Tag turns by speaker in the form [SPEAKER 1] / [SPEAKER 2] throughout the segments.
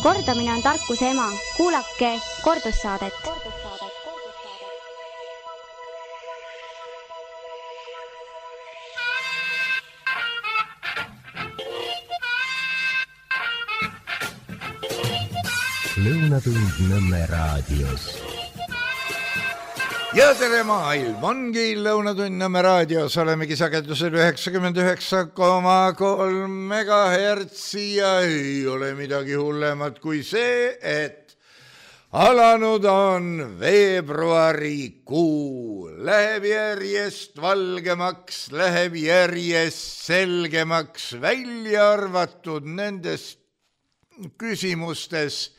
[SPEAKER 1] Kordamine on tarkuse ema. Kuulake kordussaadet.
[SPEAKER 2] Lõunatund Nõmme raadios.
[SPEAKER 3] Ja tere maailm, ongi Lõunatund Nõmme raadios, olemegi sagedusel 99,3 megahertsi ja ei ole midagi hullemat kui see, et alanud on veebruarikuu. Läheb järjest valgemaks, läheb järjest selgemaks, välja arvatud nendest küsimustes,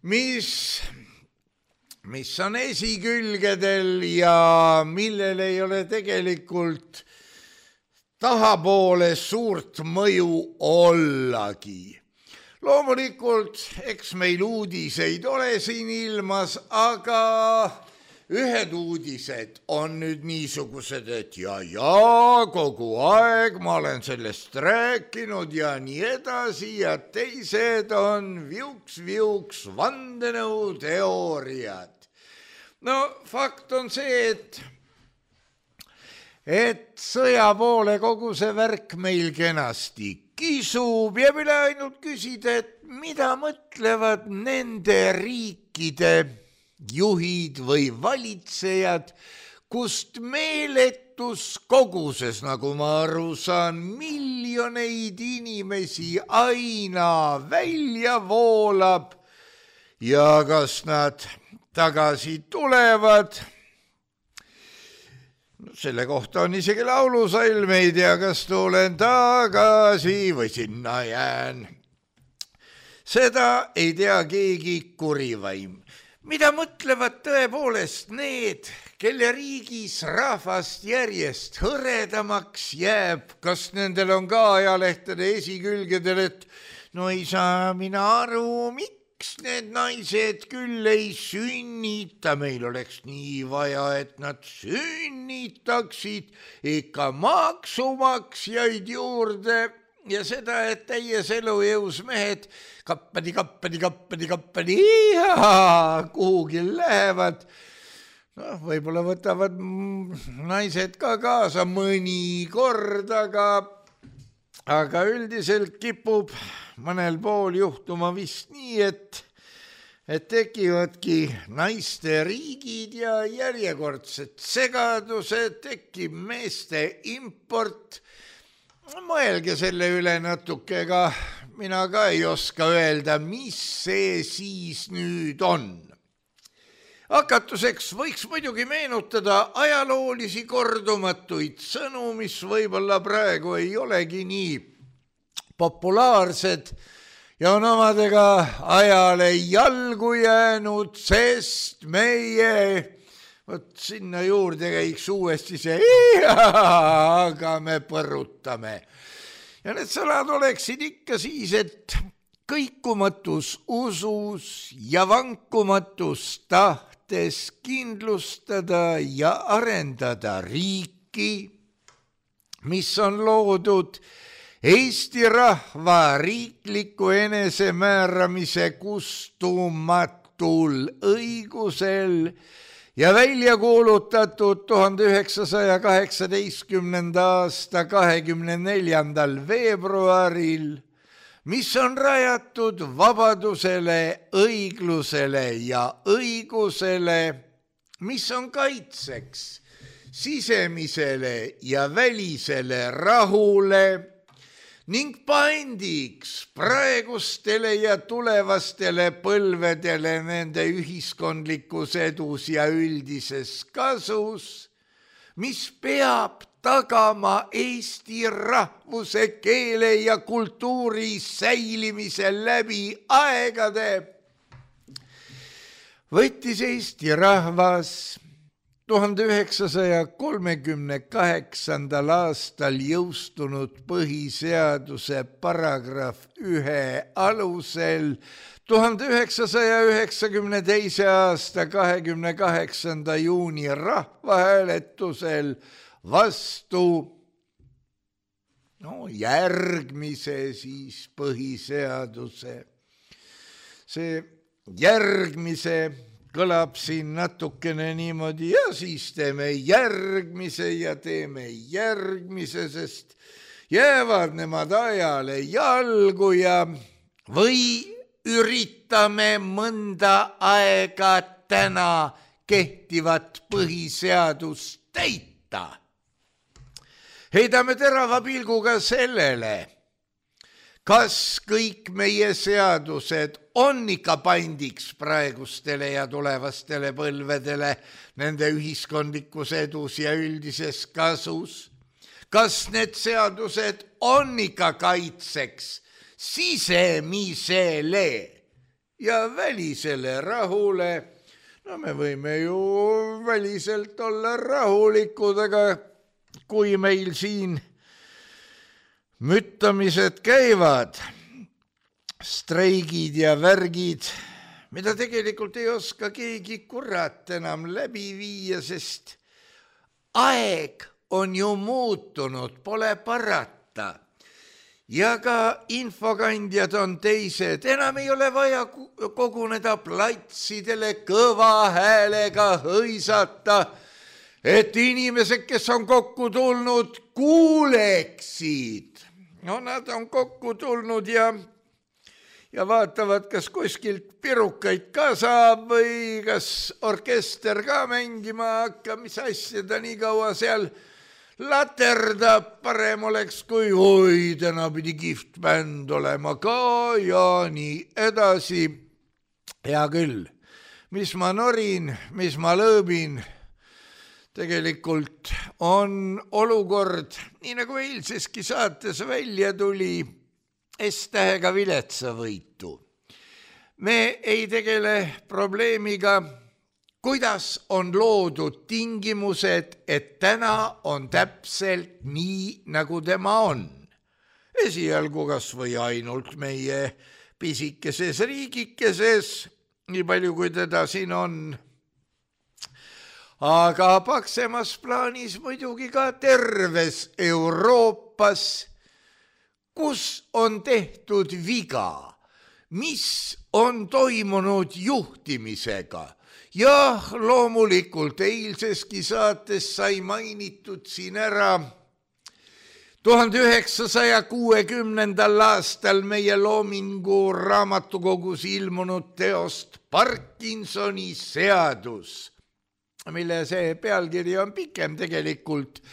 [SPEAKER 3] mis on esikülgedel ja millel ei ole tegelikult tahapoole suurt mõju ollagi. Loomulikult, eks meil uudiseid ole siin ilmas, aga ühed uudised on nüüd niisugused, et ja kogu aeg ma olen sellest rääkinud ja nii edasi ja teised on viuks vandenõuteooriad. No fakt on see, et sõja poole kogu see värk meil kenasti kisub ja mille ainult küsida, et mida mõtlevad nende riikide juhid või valitsejad, kust meeletus koguses, nagu ma aru saan, miljoneid inimesi aina välja voolab ja kas nad tagasi tulevad. Selle kohta on isegi laulusalm, ei tea, kas tulen tagasi või sinna jään. Seda ei tea keegi kurivaim. Mida mõtlevad tõepoolest need, kelle riigis rahvast järjest hõredamaks jääb? Kas nendel on ka ajalehtede esikülgedel, et no ei saa mina aru, miks need naised küll ei sünnita? Meil oleks nii vaja, et nad sünnitaksid ikka maksumaksjaid juurde ja seda, et täies elujõus mehed kappadi kuhugi lähevad. No, võib-olla võtavad naised ka kaasa mõni kord, aga üldiselt kipub mõnel pool juhtuma vist nii, et tekivadki naiste riigid ja järjekordsed segadused, tekib meeste import. Mõelge selle üle natuke, ega mina ka ei oska öelda, mis see siis nüüd on. Hakatuseks võiks muidugi meenutada ajaloolisi kordumatuid sõnu, mis võib-olla praegu ei olegi nii populaarsed ja on omadega ajale jalgu jäänud, sest meie võt sinna juurde käiks uuesti see aga me põrutame. Ja need sõnad oleksid ikka siis, et kõikumatus usus ja vankumatus tahtes kindlustada ja arendada riiki, mis on loodud Eesti rahva riikliku enesemääramise kustumatul õigusel ja välja kuulutatud 1918. aasta 24. veebruaril, mis on rajatud vabadusele, õiglusele ja õigusele, mis on kaitseks sisemisele ja välisele rahule ning pandiks praegustele ja tulevastele põlvedele nende ühiskondlikus edus ja üldises kasus, mis peab tagama eesti rahvuse, keele ja kultuuri säilimise läbi aegade. Võttis Eesti rahvas 1938. aastal jõustunud põhiseaduse paragrahv 1 alusel 1992. aasta 28. juuni rahvahääletusel vastu järgmise siis põhiseaduse, see järgmise kõlab siin natukene niimoodi ja siis teeme järgmise ja teeme järgmise, sest jäävad nemad ajale jalgu ja või üritame mõnda aega täna kehtivat põhiseadust täita. Heidame terava pilguga sellele, kas kõik meie seadused on ikka pandiks praegustele ja tulevastele põlvedele nende ühiskondlikus edus ja üldises kasus? Kas need seadused on ikka kaitseks sisemisele ja välisele rahule? No me võime ju väliselt olla rahulikud, aga kui meil siin müttamised käivad, streigid ja värgid, mida tegelikult ei oska keegi kurat enam läbi viia, sest aeg on ju muutunud, pole parata. Ja ka infokandjad on teised, enam ei ole vaja koguneda platsidele kõva häälega hõisata, et inimesed, kes on kokku tulnud, kuuleksid. No nad on kokku tulnud ja vaatavad, kas kuskilt pirukaid ka saab või kas orkester ka mängima hakkab, mis asja ta nii kaua seal laterdab. Parem oleks, kui oi, täna pidi kihvt bänd olema ka ja nii edasi. Hea küll, mis ma norin, mis ma lõõbin, tegelikult on olukord, nii nagu eilseski saates välja tuli, S-tähega viletsa võitu. Me ei tegele probleemiga, kuidas on loodud tingimused, et täna on täpselt nii, nagu tema on. Esialgu kas või ainult meie pisikeses riigikeses, nii palju kui teda siin on. Aga paksemas plaanis muidugi ka terves Euroopas, kus on tehtud viga, mis on toimunud juhtimisega. Jah, loomulikult eilseski saates sai mainitud siin ära 1960. aastal meie Loomingu raamatukogus ilmunud teost Parkinsoni seadus, mille see pealkiri on pikem tegelikult,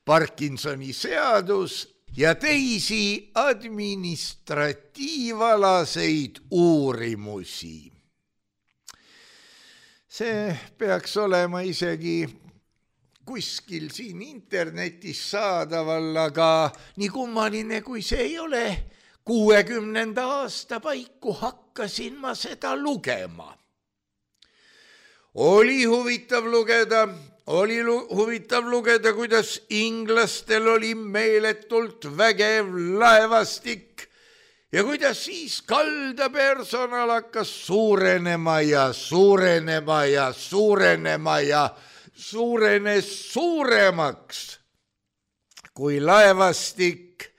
[SPEAKER 3] Parkinsoni seadus ja teisi administratiivalaseid uurimusi. See peaks olema isegi kuskil siin internetis saadaval, aga nii kummaline kui see ei ole, 60. aasta paiku hakkasin ma seda lugema. Oli huvitav lugeda, kuidas inglastel oli meeletult vägev laevastik ja kuidas siis kaldapersonal hakkas suurenema ja suurenema ja suurenema ja suurenes suuremaks kui laevastik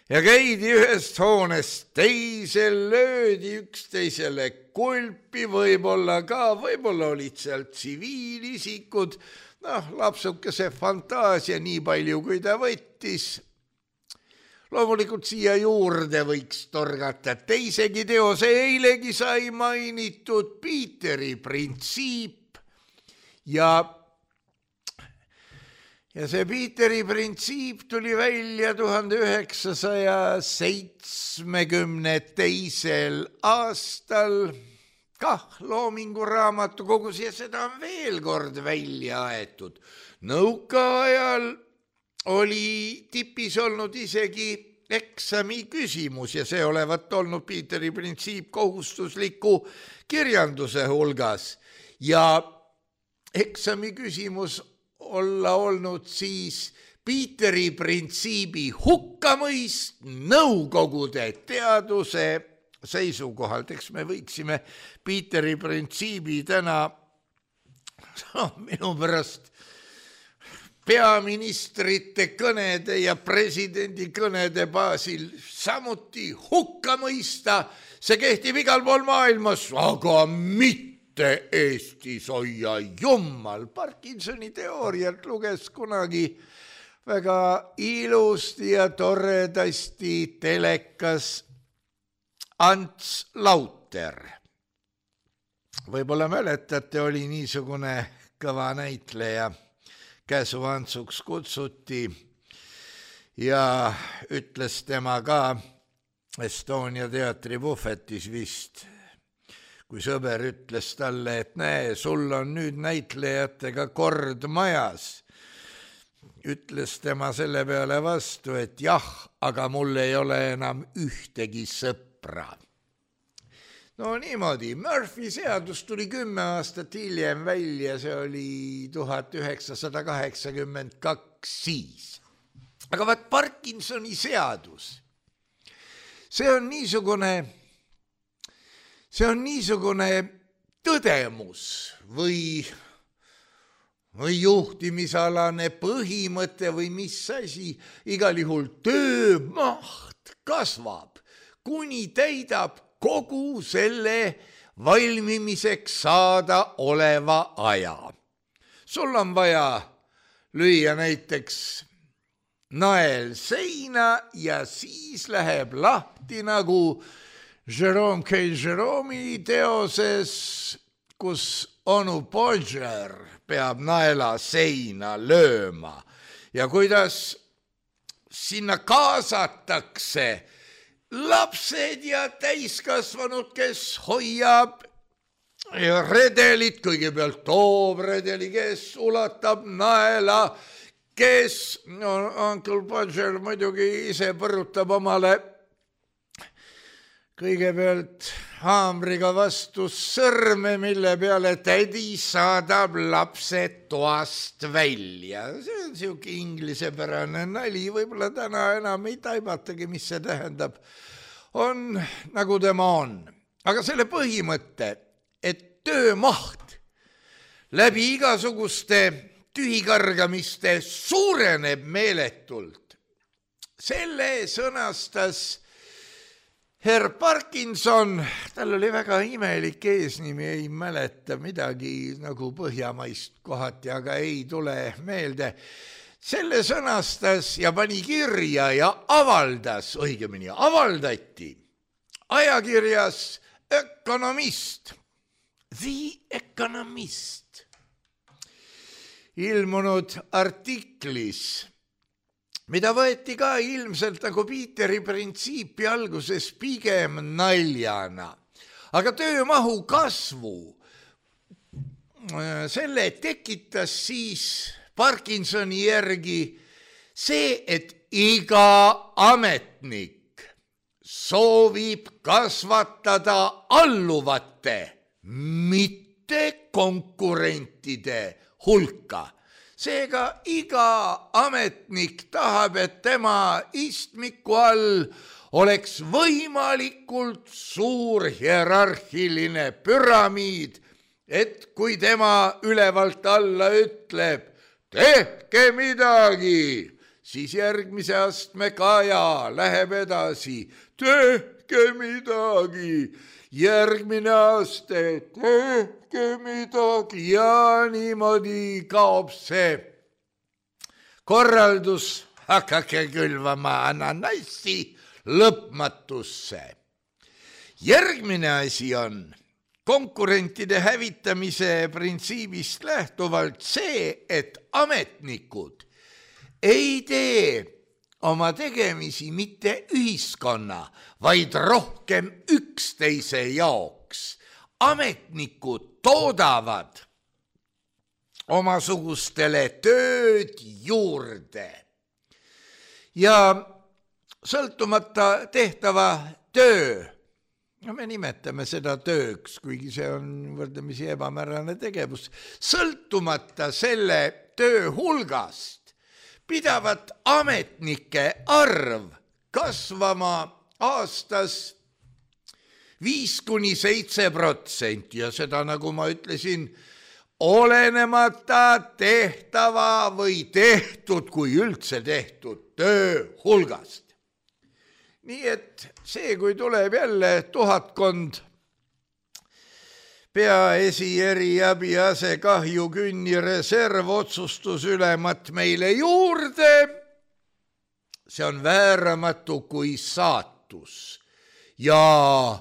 [SPEAKER 3] ja käidi ühest hoonest teisel, löödi üksteisele kulpi, võib-olla olid seal tsiviilisikud, lapsukese fantaasia nii palju, kui ta võttis. Loomulikult siia juurde võiks torgata teisegi teose, eilegi sai mainitud Piiteri printsiip ja see Piiteri printsiip tuli välja 1972. aastal kah Loomingu raamatukogus ja seda on veel kord välja aetud. Nõukaajal oli tipis olnud isegi eksami küsimus ja see olevat olnud Piiteri printsiip kohustusliku kirjanduse hulgas ja eksami küsimus olla olnud siis Piiteri printsiibi hukkamõist Nõukogude teaduse seisukohalt. Eks me võiksime Piiteri printsiibi täna minu pärast peaministrite kõnede ja presidendi kõnede baasil samuti hukka mõista. See kehtib igal pool maailmas, aga mitte Eestis, hoia jummal. Parkinsoni teooriat luges kunagi väga ilusti ja toredasti telekas Ants Lauter. Võib-olla mäletate, oli niisugune kõva näitleja, Käsu Antsuks kutsuti ja ütles tema ka Estonia teatri puhvetis vist, kui sõber ütles talle, et näe, sul on nüüd näitlejatega kord majas. Ütles tema selle peale vastu, et jah, aga mul ei ole enam ühtegi sõpra. No niimoodi, Murphy seadus tuli 10 aastat hiljem välja, see oli 1982 siis. Aga vaat Parkinsoni seadus, see on niisugune tõdemus või juhtimisalane põhimõte või mis asi, igal juhul töömaht kasvab, kuni täidab kogu selle valmimiseks saada oleva aja. Sul on vaja lüüa näiteks nael seina ja siis läheb lahti nagu Jerome K. Jerome'i teoses, kus onu Bodger peab naela seina lööma ja kuidas sinna kaasatakse lapsed ja täiskasvanud, kes hoiab redelit, kõigepealt toob redeli, kes ulatab naela, kes, Uncle Bodger muidugi ise põrutab omale kõigepealt haamriga vastu sõrme, mille peale tädi saadab lapse toast välja. See on siuke inglisepärane nali, võib-olla täna enam ei taibatagi, mis see tähendab. On nagu tema on. Aga selle põhimõte, et töömaht läbi igasuguste tühikargamiste suureneb meeletult, selle sõnastas Herr Parkinson, tal oli väga imelik eesnimi, ei mäleta midagi nagu põhjamaist kohati, aga ei tule meelde. Selle sõnastas ja pani kirja ja avaldas, õigemini avaldati ajakirjas Ökonomist, The Economist, ilmunud artiklis, mida võeti ka ilmselt nagu Peteri printsiipi alguses pigem naljana. Aga töömahu kasvu, selle tekitas siis Parkinsoni järgi see, et iga ametnik soovib kasvatada alluvate, mitte konkurentide hulka. Seega iga ametnik tahab, et tema istmiku all oleks võimalikult suur hierarhiline püramiid, et kui tema ülevalt alla ütleb, tehke midagi, siis järgmise astme kaja läheb edasi, tehke midagi, järgmine aste, tehke midagi ja niimoodi kaob see korraldus, hakake külvama ananassi lõpmatusse. Järgmine asi on konkurentide hävitamise printsiibist lähtuvalt see, et ametnikud ei tee oma tegemisi mitte ühiskonna, vaid rohkem üksteise jaoks. Ametnikud toodavad omasugustele tööd juurde ja sõltumata tehtava töö, me nimetame seda tööks, kuigi see on võrdlemisi ebamäärane tegevus, sõltumata selle töö hulgast pidavat ametnike arv kasvama aastas 5–7% ja seda, nagu ma ütlesin, olenemata tehtava või tehtud, kui üldse tehtud töö hulgast. Nii et see, kui tuleb jälle tuhatkond peaesi, eriabi, ase, kahju, künni, reserv, otsustus ülemat meile juurde, see on vääramatu kui saatus. Ja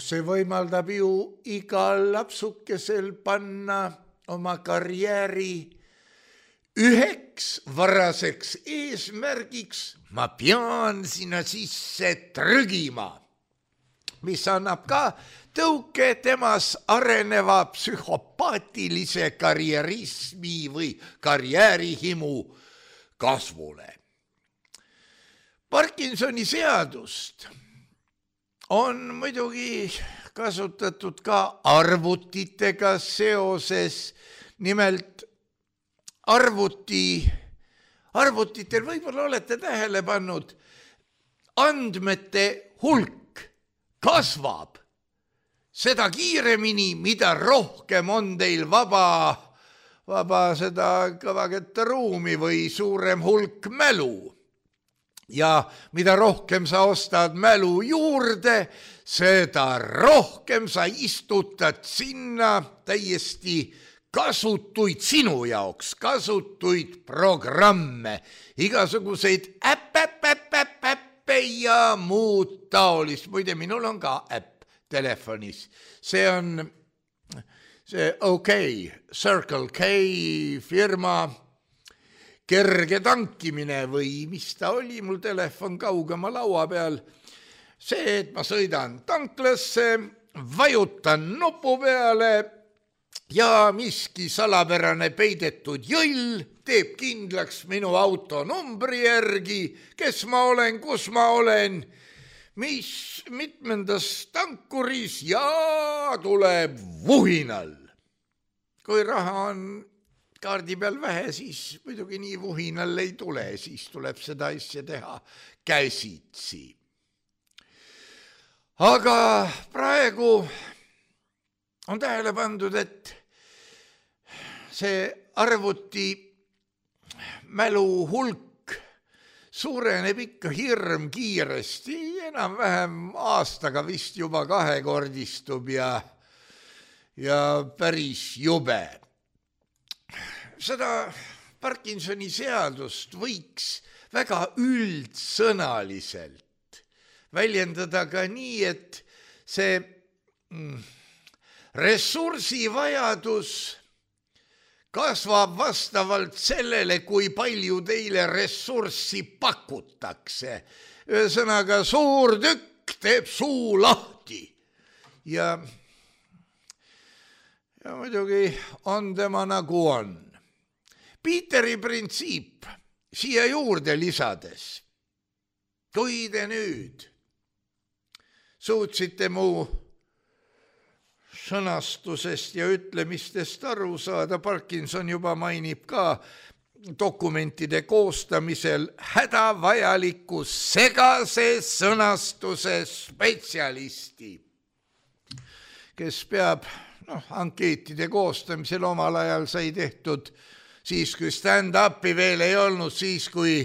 [SPEAKER 3] see võimaldab ju igal lapsukesel panna oma karjääri üheks varaseks eesmärgiks, ma pean sinna sisse trügima, mis annab ka tõuke temas areneva psühhopaatilise karjärismi või karjäärihimu kasvule. Parkinsoni seadust on muidugi kasutatud ka arvutitega seoses, nimelt arvutitel võib-olla olete tähele pannud, andmete hulk kasvab seda kiiremini, mida rohkem on teil vaba seda kõvakette ruumi või suurem hulk mälu. Ja mida rohkem sa ostad mälu juurde, seda rohkem sa istutad sinna täiesti kasutuid sinu jaoks, kasutuid programme, igasuguseid äppe ja muud taolist. Muide, minul on ka äpp telefonis. See on see OK, Circle K firma kerge tankimine või mis ta oli, mul telefon kaugema laua peal. See, et ma sõidan tanklasse, vajutan nupu peale ja miski salapärane peidetud jõll teeb kindlaks minu auto numbri järgi, kes ma olen, kus ma olen, mis mitmendas tankuris ja tuleb vuhinal. Kui raha on kaardi peal vähe, siis muidugi nii vuhinal ei tule, siis tuleb seda asja teha käsitsi. Aga praegu on tähele pandud, et see arvuti mälu hulk suureneb ikka hirm kiiresti, enam-vähem aastaga vist juba kahekordistub ja päris jube. Seda Parkinsoni seadust võiks väga üldsõnaliselt väljendada ka nii, et see ressursivajadus kasvab vastavalt sellele, kui palju teile ressurssi pakutakse. Ühesõnaga, suur tükk teeb suu lahti ja muidugi on tema nagu on. Peteri printsiip siia juurde lisades. Kui te nüüd suutsite mu sõnastusest ja ütlemistest aru saada, Parkinson juba mainib ka dokumentide koostamisel hädavajaliku segase sõnastuse spetsialisti, kes peab ankeetide koostamisel omal ajal sai tehtud siis, kui stand-upi veel ei olnud, siis, kui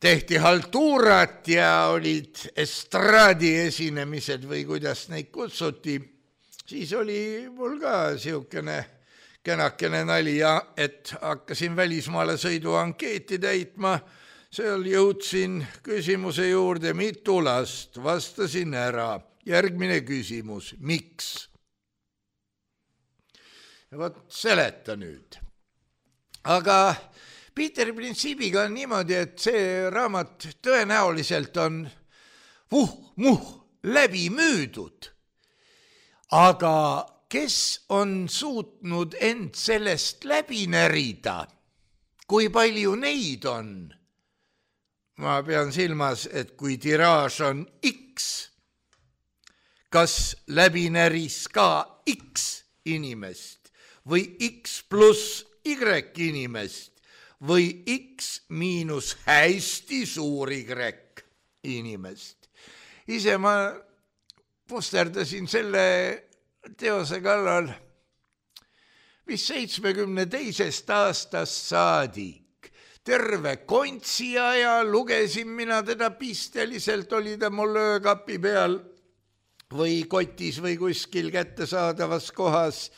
[SPEAKER 3] tehti haltuurat ja olid estraadi esinemised või kuidas neid kutsuti, siis oli mul ka siukene kenakene nali, et hakkasin välismaale sõidu ankeeti täitma, seal jõudsin küsimuse juurde, mitu last, vastasin ära. Järgmine küsimus, miks? Ja võt seleta nüüd. Aga Peteri printsiibiga on niimoodi, et see raamat tõenäoliselt on läbi müüdud. Aga kes on suutnud end sellest läbi närida? Kui palju neid on? Ma pean silmas, et kui tiraaž on X, kas läbi näris ka X inimest või X pluss Y inimest või X miinus hästi suur Y inimest. Ise ma pusterdasin selle teose kallal mis 72. aastast saadik. Terve kontsi aja lugesin mina teda pisteliselt, oli ta mul öökapi peal või kotis või kuskil kättesaadavas kohas.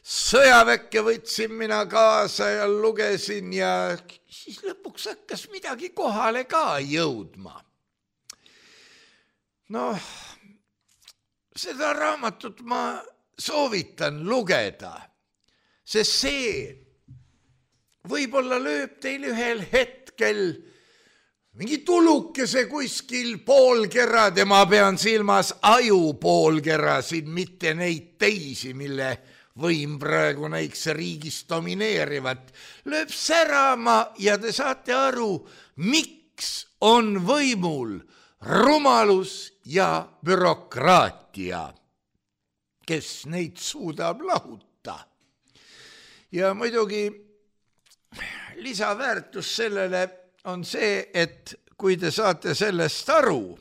[SPEAKER 3] Sõjaväkke võtsin mina kaasa ja lugesin ja siis lõpuks hakkas midagi kohale ka jõudma. Noh, seda raamatut ma soovitan lugeda, sest see võib-olla lööb teil ühel hetkel mingi tulukese kuskil poolkerad ja ma pean silmas ajupoolkerasid, mitte neid teisi, mille võim praegu näiks riigis domineerivat, lööb särama ja te saate aru, miks on võimul rumalus ja bürokraatia, kes neid suudab lahuta. Ja muidugi lisaväärtus sellele on see, et kui te saate sellest aru,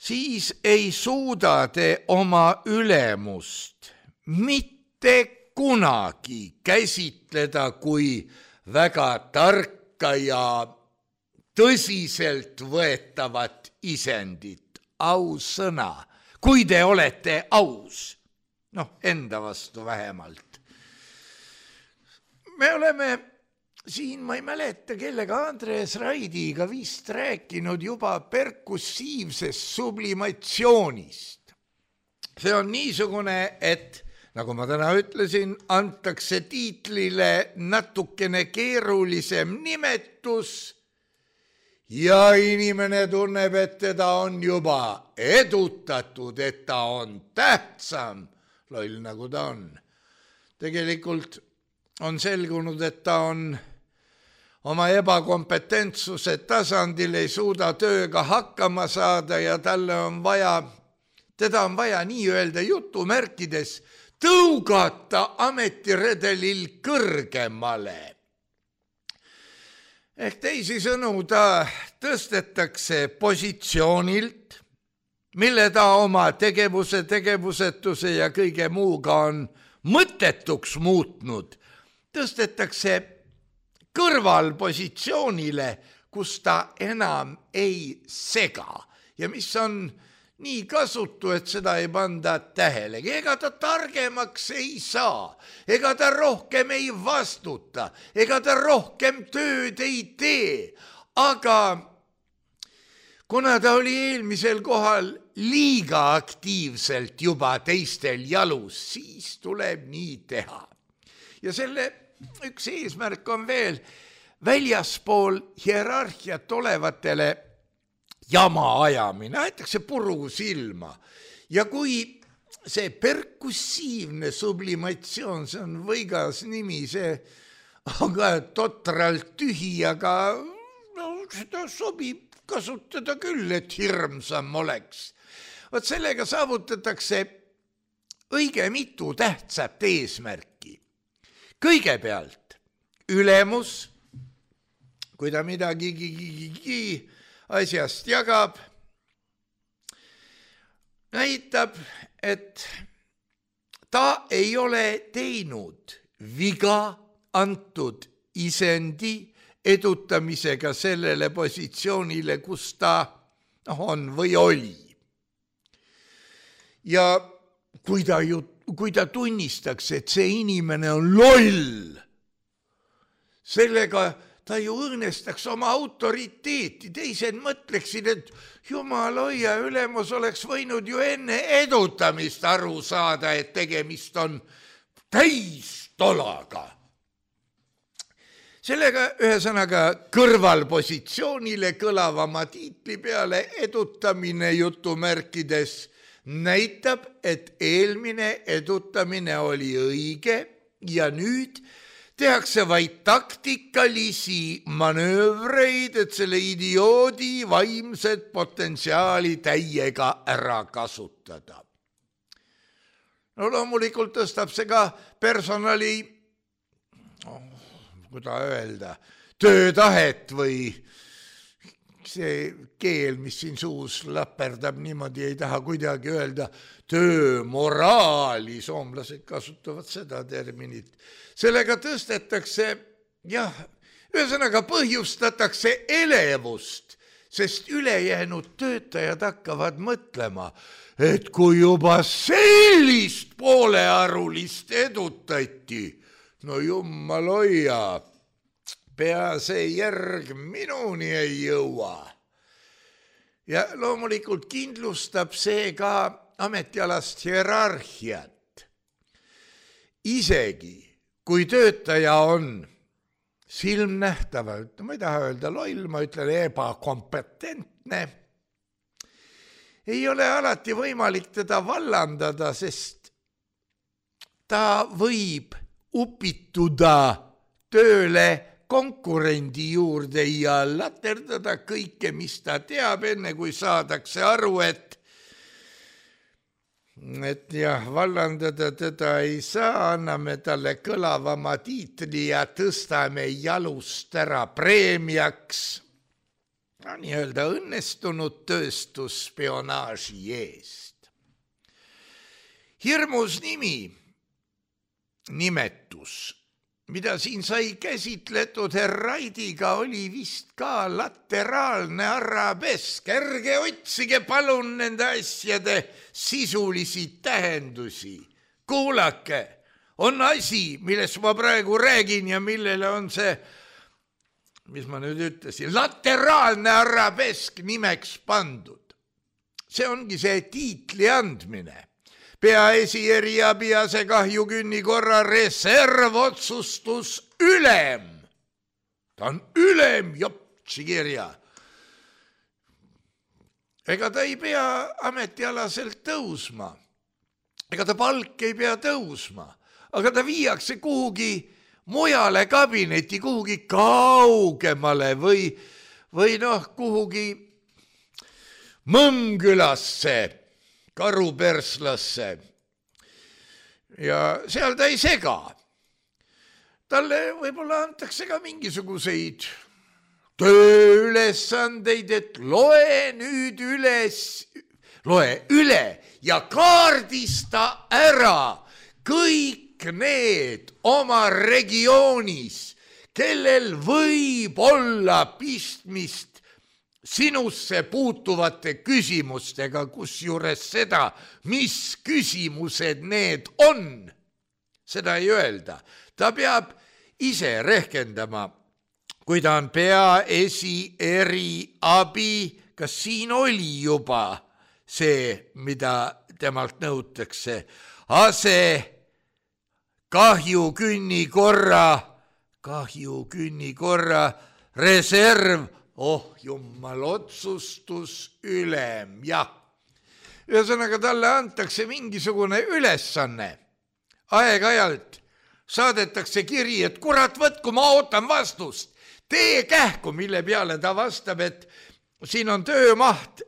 [SPEAKER 3] siis ei suuda te oma ülemust mitte kunagi käsitleda kui väga tarka ja tõsiselt võetavat isendit, ausõna, kui te olete aus, noh, enda vastu vähemalt. Me oleme siin, ma ei mäleta, kellega Andres Raidiga vist rääkinud juba perkussiivsest sublimatsioonist. See on niisugune, et nagu ma täna ütlesin, antakse tiitlile natukene keerulisem nimetus ja inimene tunneb, et teda on juba edutatud, et ta on tähtsam, loll nagu ta on. Tegelikult on selgunud, et ta on oma ebakompetentsuse tasandil, ei suuda tööga hakkama saada ja teda on vaja nii-öelda jutumärkides tõugata ametiredelil kõrgemale. Ehk teisisõnu, ta tõstetakse positsioonilt, mille ta oma tegevusetuse ja kõige muuga on mõttetuks muutnud, tõstetakse kõrvalpositsioonile, kus ta enam ei sega ja mis on nii kasutu, et seda ei panda tähelegi. Ega ta targemaks ei saa, ega ta rohkem ei vastuta, ega ta rohkem tööd ei tee, aga kuna ta oli eelmisel kohal liiga aktiivselt juba teistel jalus, siis tuleb nii teha. Ja selle üks eesmärk on veel väljaspool hierarhiat olevatele jama ajamine, aetakse puru silma. Ja kui see perkussiivne sublimatsioon, see on võigas nimi, see on ka totralt tühi, aga no, seda sobib kasutada küll, et hirmsam oleks. Vot sellega saavutatakse õige mitu tähtsat eesmärki. Kõigepealt ülemus, kui ta midagi asjast jagab, näitab, et ta ei ole teinud viga antud isendi edutamisega sellele positsioonile, kus ta on või oli. Ja kui ta tunnistaks, et see inimene on loll, sellega ta ju õõnestaks oma autoriteeti. Teised mõtleksid, et jumal hoia, ülemus oleks võinud ju enne edutamist aru saada, et tegemist on täistolaga. Sellega ühesõnaga kõrvalpositsioonile kõlavama tiitli peale edutamine jutumärkides näitab, et eelmine edutamine oli õige ja nüüd tehakse vaid taktikalisi manöövreid, et selle idioodi vaimset potentsiaali täiega ära kasutada. No loomulikult tõstab see ka personali, kuidas öelda, töötahet või see keel, mis siin suus läperdab, niimoodi ei taha kuidagi öelda töömoraali, soomlased kasutavad seda terminit. Sellega tõstetakse, jah, ühesõnaga põhjustatakse elevust, sest ülejäänud töötajad hakkavad mõtlema, et kui juba sellist poolearulist edutati, no jummal hoia, pea see järg minuni ei jõua. Ja loomulikult kindlustab see ka ametialast hierarhiat. Isegi kui töötaja on silmnähtavalt, ma ei taha öelda loll, ma ütlen ebakompetentne, ei ole alati võimalik teda vallandada, sest ta võib upituda tööle konkurendi juurde ja laterdada kõike, mis ta teab, enne kui saadakse aru, et jah, vallandada teda ei saa, anname talle kõlavama tiitli ja tõstame jalust ära preemiaks. Nii-öelda õnnestunud tööstusspionaaži eest. Hirmus nimetus, mida siin sai käsitletud Herraidiga, oli vist ka lateraalne arabesk. Ärge otsige palun nende asjade sisulisi tähendusi. Kuulake, on asi, millest ma praegu räägin ja millele on see, mis ma nüüd ütlesin, lateraalne arabesk nimeks pandud. See ongi see tiitli andmine. Peaesi eriabi asekahjukünni korra reservotsustus ülem. Ta on ülem, jopsi kirja. Ega ta ei pea ametialaselt tõusma. Ega ta palk ei pea tõusma. Aga ta viiakse kuhugi mujale kabineti, kuhugi kaugemale või kuhugi Mõmmkülasse, Karuperslasse ja seal ta ei sega. Talle võib-olla antakse ka mingisuguseid tööülesandeid, et loe üle ja kaardista ära kõik need oma regioonis, kellel võib olla pistmist sinusse puutuvate küsimustega, kusjuures seda, mis küsimused need on, seda ei öelda. Ta peab ise rehkendama, kui ta on peaesi eriabi, kas siin oli juba see, mida temalt nõutakse, kahjukünni korra reserv, jummal, otsustus ülem, jah. Ühesõnaga talle antakse mingisugune ülesanne. Aeg-ajalt saadetakse kiri, et kurat võtku, ma ootan vastust. Tee kähku, mille peale ta vastab, et siin on töömaht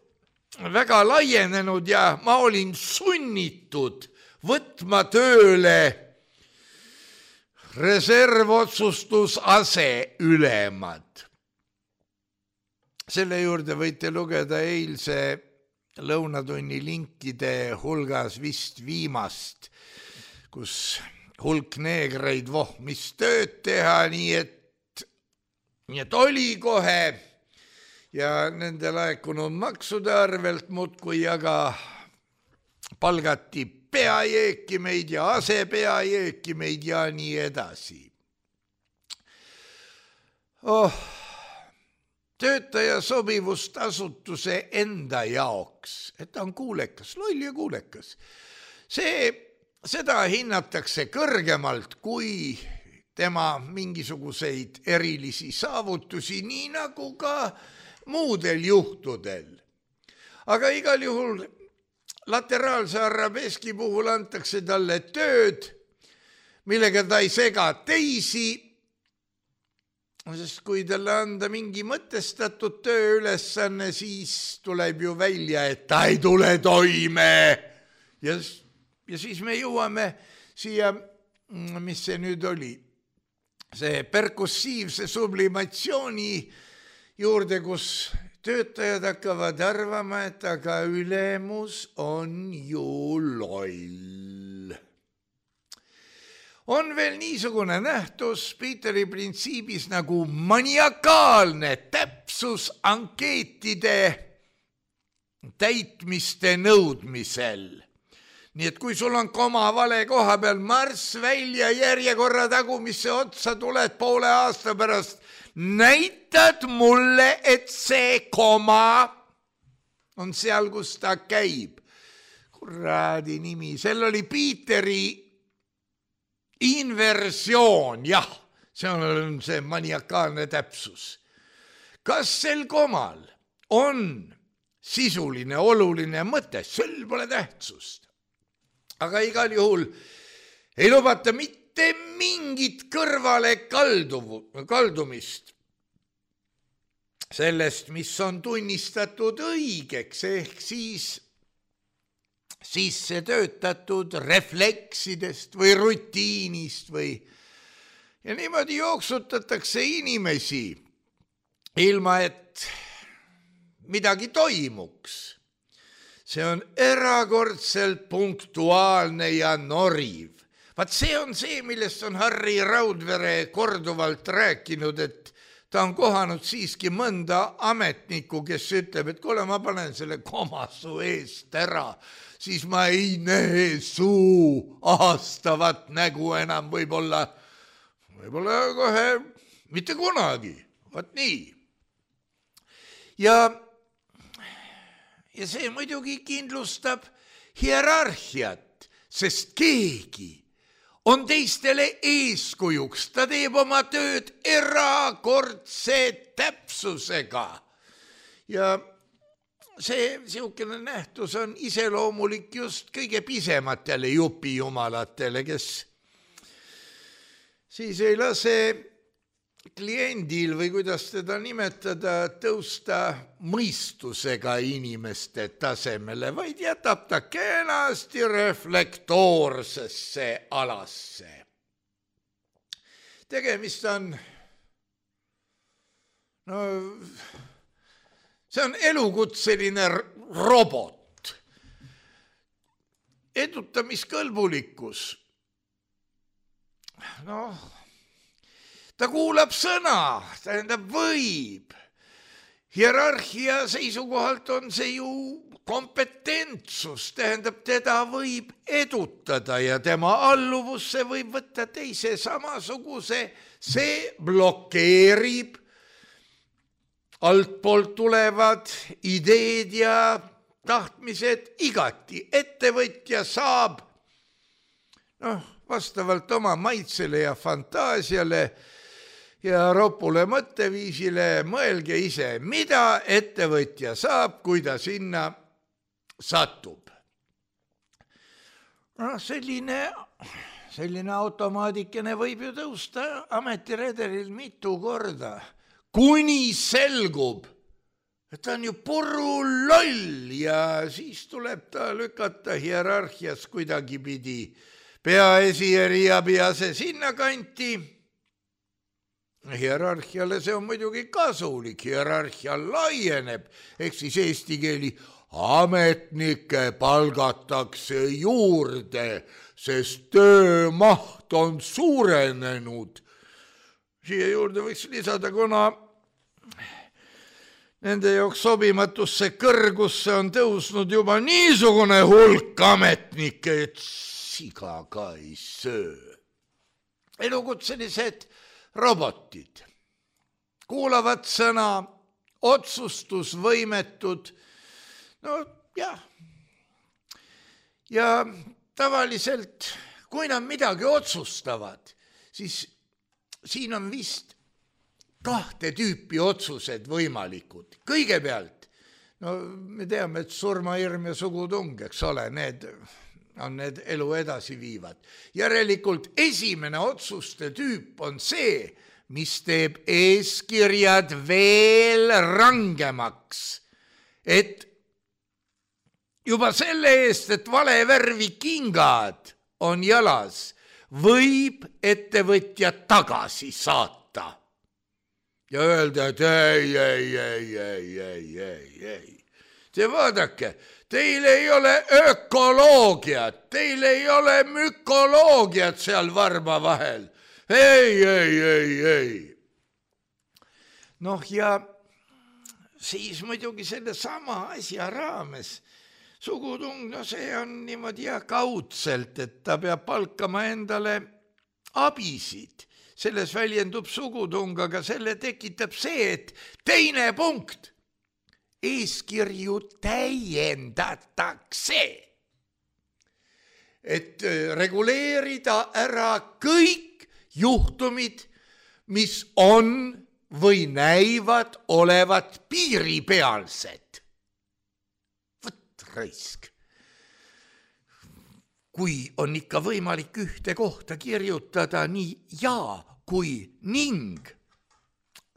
[SPEAKER 3] väga laienenud ja ma olin sunnitud võtma tööle reservotsustus aseülemad. Selle juurde võite lugeda eilse lõunatunni linkide hulgas vist viimast, kus hulk neegreid mis tööd teha, nii et oli kohe ja nende laekunud maksude arvelt muudkui aga palgati peajääkimeid ja asepeajääkimeid ja nii edasi. Töötaja sobivust asutuse enda jaoks, et ta on kuulekas, loll ja kuulekas. Seda hinnatakse kõrgemalt kui tema mingisuguseid erilisi saavutusi, nii nagu ka muudel juhtudel. Aga igal juhul lateraalse arabeski puhul antakse talle tööd, millega ta ei sega teisi, sest kui talle anda mingi mõtestatud tööülesanne, siis tuleb ju välja, et ta ei tule toime. Ja siis me jõuame siia, mis see nüüd oli, see perkussiivse sublimatsiooni juurde, kus töötajad hakkavad arvama, et aga ülemus on ju loll. On veel niisugune nähtus Peteri printsiibis nagu maniakaalne täpsus ankeetide täitmiste nõudmisel. Nii et kui sul on koma vale koha peal, marss välja järjekorra tagumisse otsa, tuled poole aasta pärast, näitad mulle, et see koma on seal, kus ta käib. Kuradi nimi, seal oli Peteri inversioon, jah, see on see maniakaalne täpsus. Kas sel komal on sisuline, oluline mõte, sel pole tähtsust. Aga igal juhul ei lubata mitte mingit kõrvale kaldumist sellest, mis on tunnistatud õigeks, ehk siis sisse töötatud refleksidest või rutiinist ja niimoodi jooksutatakse inimesi ilma, et midagi toimuks. See on erakordselt punktuaalne ja noriv. Vaat see on see, millest on Harri Raudvere korduvalt rääkinud, et ta on kohanud siiski mõnda ametnikku, kes ütleb, et kuule, ma panen selle koma su eest ära, siis ma ei näe su aastavat nägu enam võib-olla kohe mitte kunagi. Vaat nii. Ja see muidugi kindlustab hierarhiat, sest keegi on teistele eeskujuks, ta teeb oma tööd erakordse täpsusega. Ja see siukene nähtus on iseloomulik just kõige pisematele jupijumalatele, kes siis ei lase kliendil või kuidas teda nimetada, tõusta mõistusega inimeste tasemele, vaid jätab ta kenasti reflektoorsesse alasse. Tegemist on, see on elukutseline robot. Edutamiskõlbulikkus. Ta kuulab sõna, tähendab võib. Hierarhia seisukohalt on see ju kompetentsus, tähendab teda võib edutada ja tema alluvusse võib võtta teise samasuguse, see blokeerib altpoolt tulevad ideed ja tahtmised igati. Ettevõtja saab vastavalt oma maitsele ja fantaasiale ja ropule mõtteviisile mõelge ise, mida ettevõtja saab, kui ta sinna satub. Selline automaadikene võib ju tõusta ametiredelil mitu korda, kuni selgub, et ta on ju puru loll ja siis tuleb ta lükata hierarhias kuidagi pidi peaesieri ja pease sinna kanti. Hierarhiale see on muidugi kasulik, hierarhia laieneb, ehk siis eesti keeli ametnikke palgatakse juurde, sest töömaht on suurenenud. Siia juurde võiks lisada, kuna nende jaoks sobimatusse kõrgusse on tõusnud juba niisugune hulk ametnikke, et siga ka ei söö. Elukutselised robotid kuulavad sõna, otsustusvõimetud, ja tavaliselt, kui nad midagi otsustavad, siis siin on vist kahte tüüpi otsused võimalikud. Kõigepealt, me teame, et surmahirm ja sugutung, eks ole, need on need elu edasi viivad. Järelikult esimene otsuste tüüp on see, mis teeb eeskirjad veel rangemaks, et juba selle eest, et vale värvi kingad on jalas, võib ettevõtja tagasi saata. ja öelda, et ei. Te vaadake, teil ei ole ökoloogiat, teil ei ole mükoloogiat seal varba vahel. Ei. Noh, ja siis muidugi selle sama asja raames sugutung, no see on niimoodi kaudselt, et ta peab palkama endale abisid. Selles väljendub sugutung, aga selle tekitab see, et teine punkt. Eeskirju täiendatakse, et reguleerida ära kõik juhtumid, mis on või näivad olevat piiripealsed. Võt raisk. Kui on ikka võimalik ühte kohta kirjutada nii ja kui ning,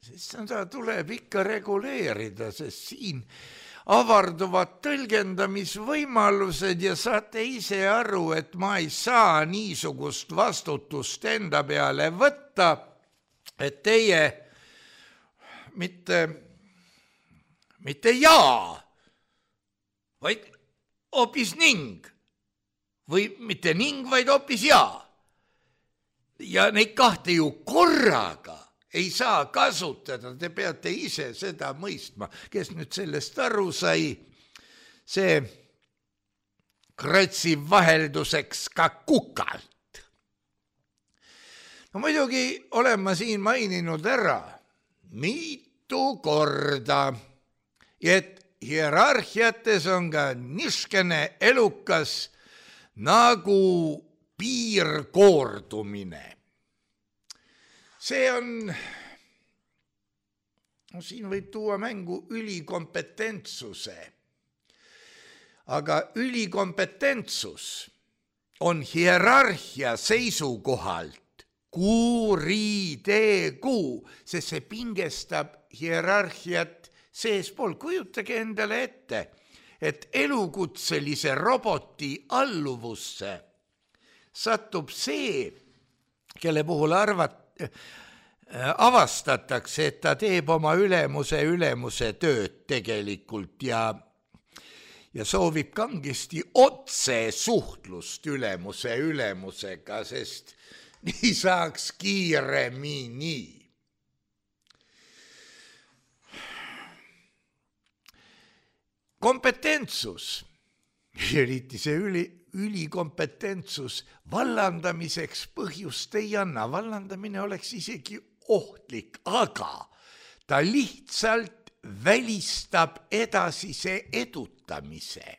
[SPEAKER 3] siis seda tuleb ikka reguleerida, sest siin avarduvad tõlgendamisvõimalused ja saate ise aru, et ma ei saa niisugust vastutust enda peale võtta, et teie mitte jaa, vaid hoopis ning. Või mitte ning, vaid hoopis jaa. Ja neid kahte ju korraga ei saa kasutada, te peate ise seda mõistma. Kes nüüd sellest aru sai, see kratsib vahelduseks ka kukalt. No muidugi olen ma siin maininud ära mitu korda, et hierarhiates on ka niskene elukas nagu piirkoordumine. See on, no siin võib tuua mängu ülikompetentssuse, aga ülikompetentsus on hierarhia seisukohalt kuritegu, sest see pingestab hierarhiat seespool. Kujutage endale ette, et elukutselise roboti alluvusse satub see, kelle puhul avastatakse, et ta teeb oma ülemuse tööd tegelikult ja soovib kangesti otse suhtlust ülemusega, sest nii saaks kiiremini. Kompetentsus, eriti see ülikompetentsus, vallandamiseks põhjust ei anna. Vallandamine oleks isegi ohtlik, aga ta lihtsalt välistab edasise edutamise.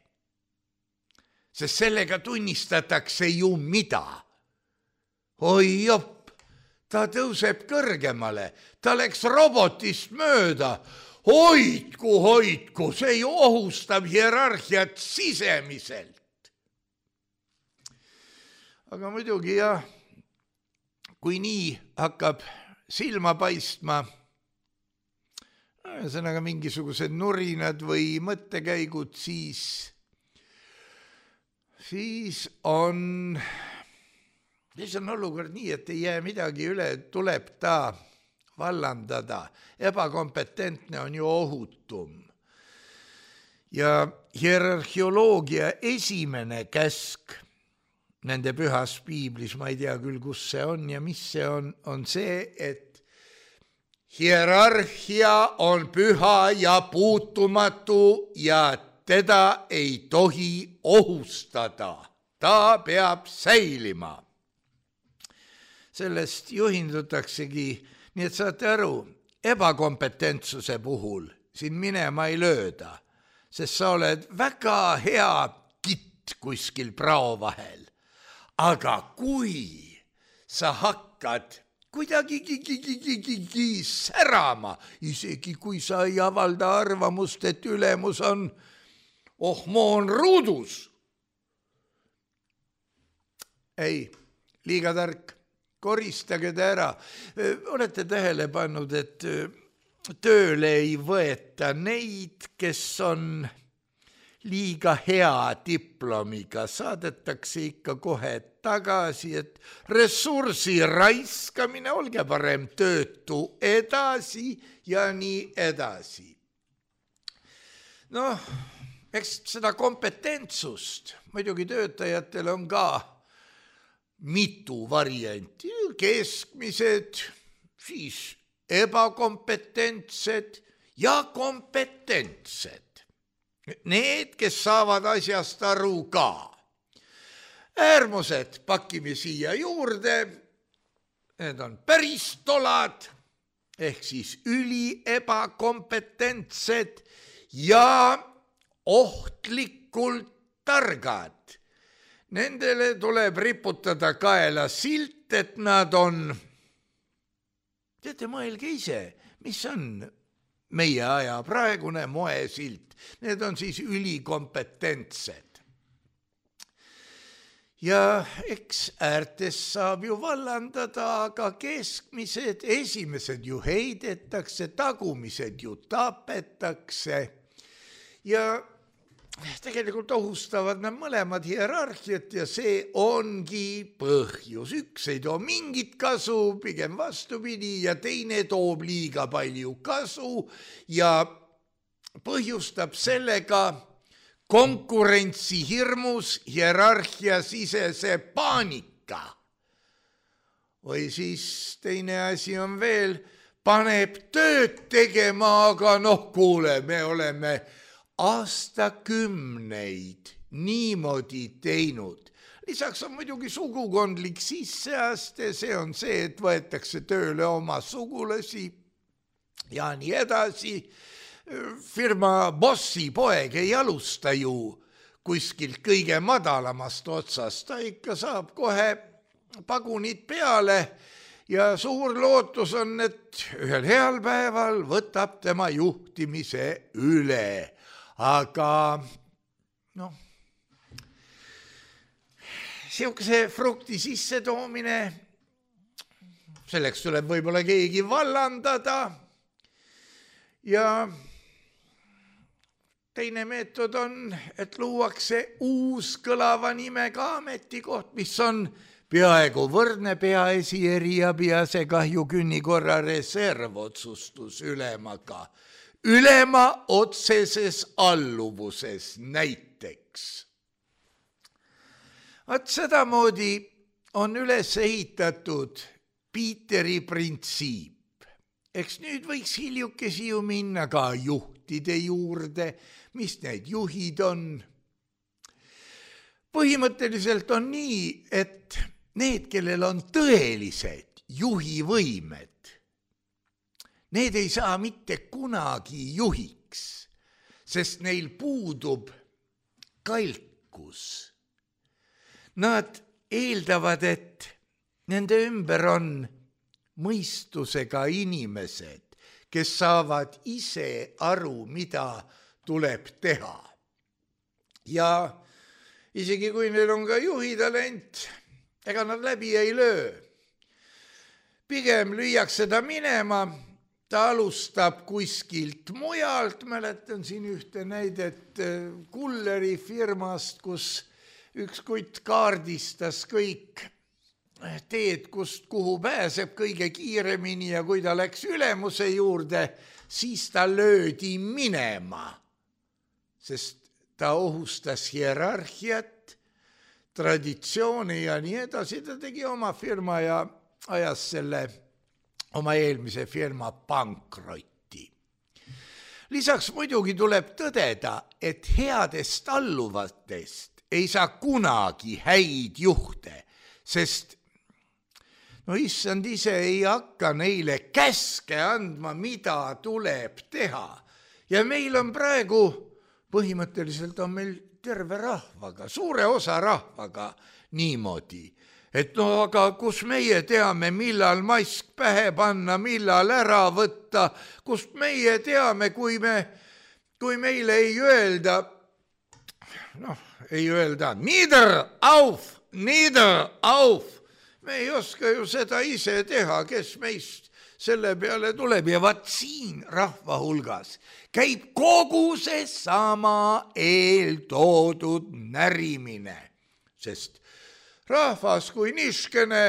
[SPEAKER 3] Sest sellega tunnistatakse ju mida? Oi jopp, ta tõuseb kõrgemale, ta läks robotist mööda. Hoidku, see ju ohustab hierarhiat sisemiselt. Aga muidugi jah, kui nii hakkab silma paistma, ühesõnaga mingisugused nurinad või mõttekäigud, siis on olukord nii, et ei jää midagi üle, tuleb ta vallandada. Ebakompetentne on ju ohutum. Ja hierarhioloogia esimene käsk nende pühas piiblis, ma ei tea küll, kus see on ja mis see on see, et hierarhia on püha ja puutumatu ja teda ei tohi ohustada. Ta peab säilima. Sellest juhindutaksegi. Nii et saate aru, ebakompetentsuse puhul siin minema ei lööda, sest sa oled väga hea kitt kuskil prao vahel. Aga kui sa hakkad kuidagi särama, isegi kui sa ei avalda arvamust, et ülemus on ohmoon ruudus. Ei, liiga tark. Koristage ta ära. Olete tähele pannud, et tööle ei võeta neid, kes on liiga hea diplomiga, saadetakse ikka kohe tagasi, et ressursi raiskamine, olge parem töötu edasi ja nii edasi. Noh, eks seda kompetentsust muidugi töötajatel on ka mitu varianti, keskmised, siis ebakompetentsed ja kompetentsed. Need, kes saavad asjast aru ka. Äärmused pakime siia juurde, need on päris tolad, ehk siis üli ebakompetentsed ja ohtlikult targad. Nendele tuleb riputada kaela silt, et nad on, teate, mõelge ise, mis on meie aja praegune moesilt. Need on siis ülikompetentsed. Ja eks äärtes saab ju vallandada, aga keskmised, esimesed ju heidetakse, tagumised ju tapetakse ja tegelikult ohustavad nad mõlemad hierarhiat ja see ongi põhjus. Üks ei too mingit kasu, pigem vastupidi, ja teine toob liiga palju kasu ja põhjustab sellega konkurentsi hirmus hierarhia sisese paanika. Või siis teine asi on veel, paneb tööd tegema, aga kuule, me oleme aastakümneid niimoodi teinud. Lisaks on muidugi sugukondlik sisseaste, see on see, et võetakse tööle oma sugulasi ja nii edasi. Firma bossi poeg ei alusta ju kuskilt kõige madalamast otsast, ta ikka saab kohe pagunid peale ja suur lootus on, et ühel heal päeval võtab tema juhtimise üle. Aga siukese frukti sisse toomine, selleks tuleb võib-olla keegi vallandada ja teine meetod on, et luuakse uus kõlava nimega ametikoht, mis on peaaegu võrdne peaesi eriabi asekahju künnikorra reservotsustus ülemaga. Ülema otseses alluvuses näiteks. Vaat sedamoodi on üles ehitatud Piiteri printsiip. Eks nüüd võiks hiljukesi ju minna ka juhtide juurde, mis need juhid on. Põhimõtteliselt on nii, et need, kellel on tõelised juhivõimed, need ei saa mitte kunagi juhiks, sest neil puudub kalkus. Nad eeldavad, et nende ümber on mõistusega inimesed, kes saavad ise aru, mida tuleb teha. Ja isegi kui neil on ka juhitalent, ega nad läbi ei löö. Pigem lüüakse ta minema, ta alustab kuskilt mujalt, mäletan siin ühte näidet Kulleri firmast, kus üks kutt kaardistas kõik teed, kust kuhu pääseb kõige kiiremini ja kui ta läks ülemuse juurde, siis ta löödi minema, sest ta ohustas hierarhiat, traditsiooni ja nii edasi. Ta tegi oma firma ja ajas selle oma eelmise firma pankrotti. Lisaks muidugi tuleb tõdeda, et headest alluvatest ei saa kunagi häid juhte, sest issand ise ei hakka neile käske andma, mida tuleb teha. Ja meil on praegu, põhimõtteliselt on meil terve rahvaga, suure osa rahvaga niimoodi, et aga kus meie teame, millal mask pähe panna, millal ära võtta, kust meie teame, kui meile ei öelda, nieder auf, me ei oska ju seda ise teha, kes meist selle peale tuleb. Ja vaat siin rahva hulgas käib kogu see sama eeltoodud närimine, sest rahvas kui niškene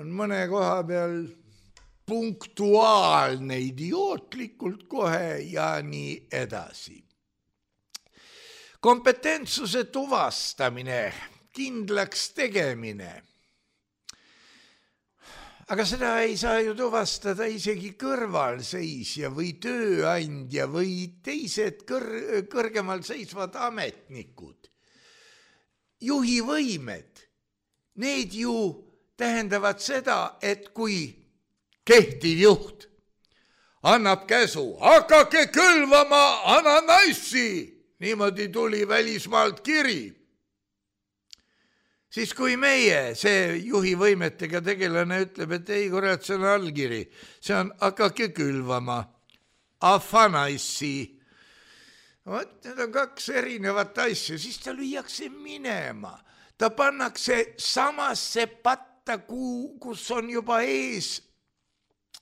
[SPEAKER 3] on mõne koha peal punktuaalne, idiootlikult kohe ja nii edasi. Kompetentsuse tuvastamine, kindlaks tegemine. Aga seda ei saa ju tuvastada isegi kõrvalseisja või tööandja või teised kõrgemal seisvad ametnikud. Juhi võimed, need ju tähendavad seda, et kui kehtiv juht annab käsu, hakake külvama ananaissi, niimoodi tuli välismaalt kiri. Siis kui meie, see juhi võimetega tegelane ütleb, et ei, kurat, see on allkiri, see on hakake külvama afanaissi. Vot, need on kaks erinevat asja, siis ta lüüakse minema. Ta pannakse samasse patta, kus on juba ees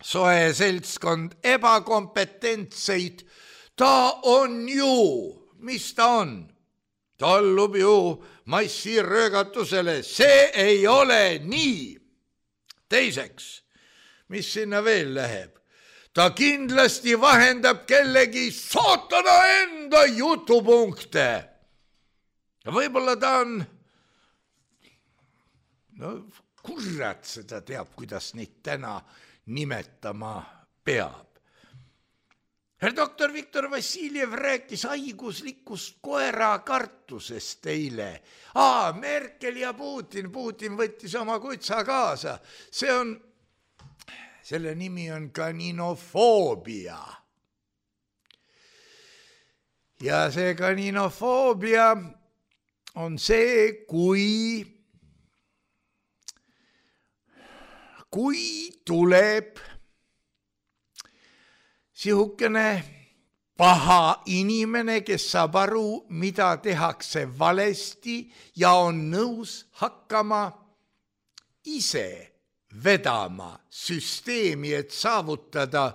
[SPEAKER 3] soe seltskond ebakompetentseid. Ta on ju, mis ta on? Ta allub ju massiröögatusele, see ei ole nii. Teiseks, mis sinna veel läheb? Ta kindlasti vahendab kellegi saatana enda jutupunkte. Võib-olla ta on, no kurat seda teab, kuidas neid täna nimetama peab. Herr doktor Viktor Vassiljev rääkis haiguslikust koerakartusest eile. Merkel ja Putin võttis oma kutsa kaasa. Selle nimi on kaninofoobia. Ja see kaninofoobia on see, kui tuleb sihukene paha inimene, kes saab aru, mida tehakse valesti ja on nõus hakkama ise vedama süsteemi, et saavutada,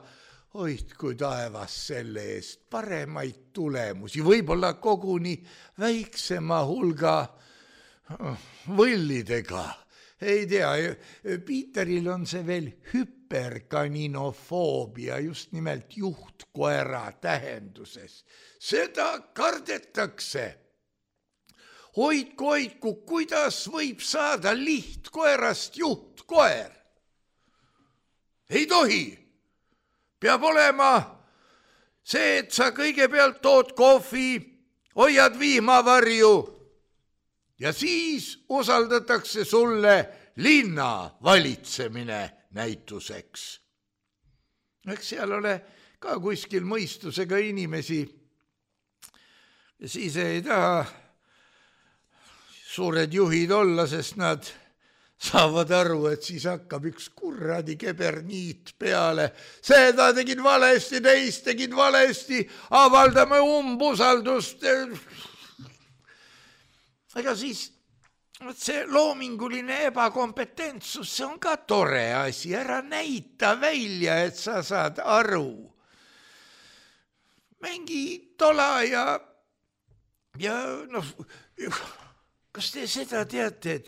[SPEAKER 3] hoidku taevas selle eest, paremaid tulemusi, võib-olla koguni väiksema hulga võllidega. Ei tea, Piiteril on see veel hüperkaninofoobia, just nimelt juhtkoera tähenduses. Seda kardetakse. Hoidku, kuidas võib saada lihtkoerast juhtkoer? Ei tohi. Peab olema see, et sa kõigepealt tood kohvi, hoiad vihmavarju ja siis usaldatakse sulle linna valitsemine näituseks. Eks seal ole ka kuskil mõistusega inimesi ja siis ei taha suured juhid olla, sest nad saavad aru, et siis hakkab üks kurradi keberniit peale. Seda tegid valesti, teist tegid valesti, avaldame umbusaldust. Ega siis see loominguline ebakompetentsus, see on ka tore asi, ära näita välja, et sa saad aru. Mängi tola ja noh, kas te seda teate, et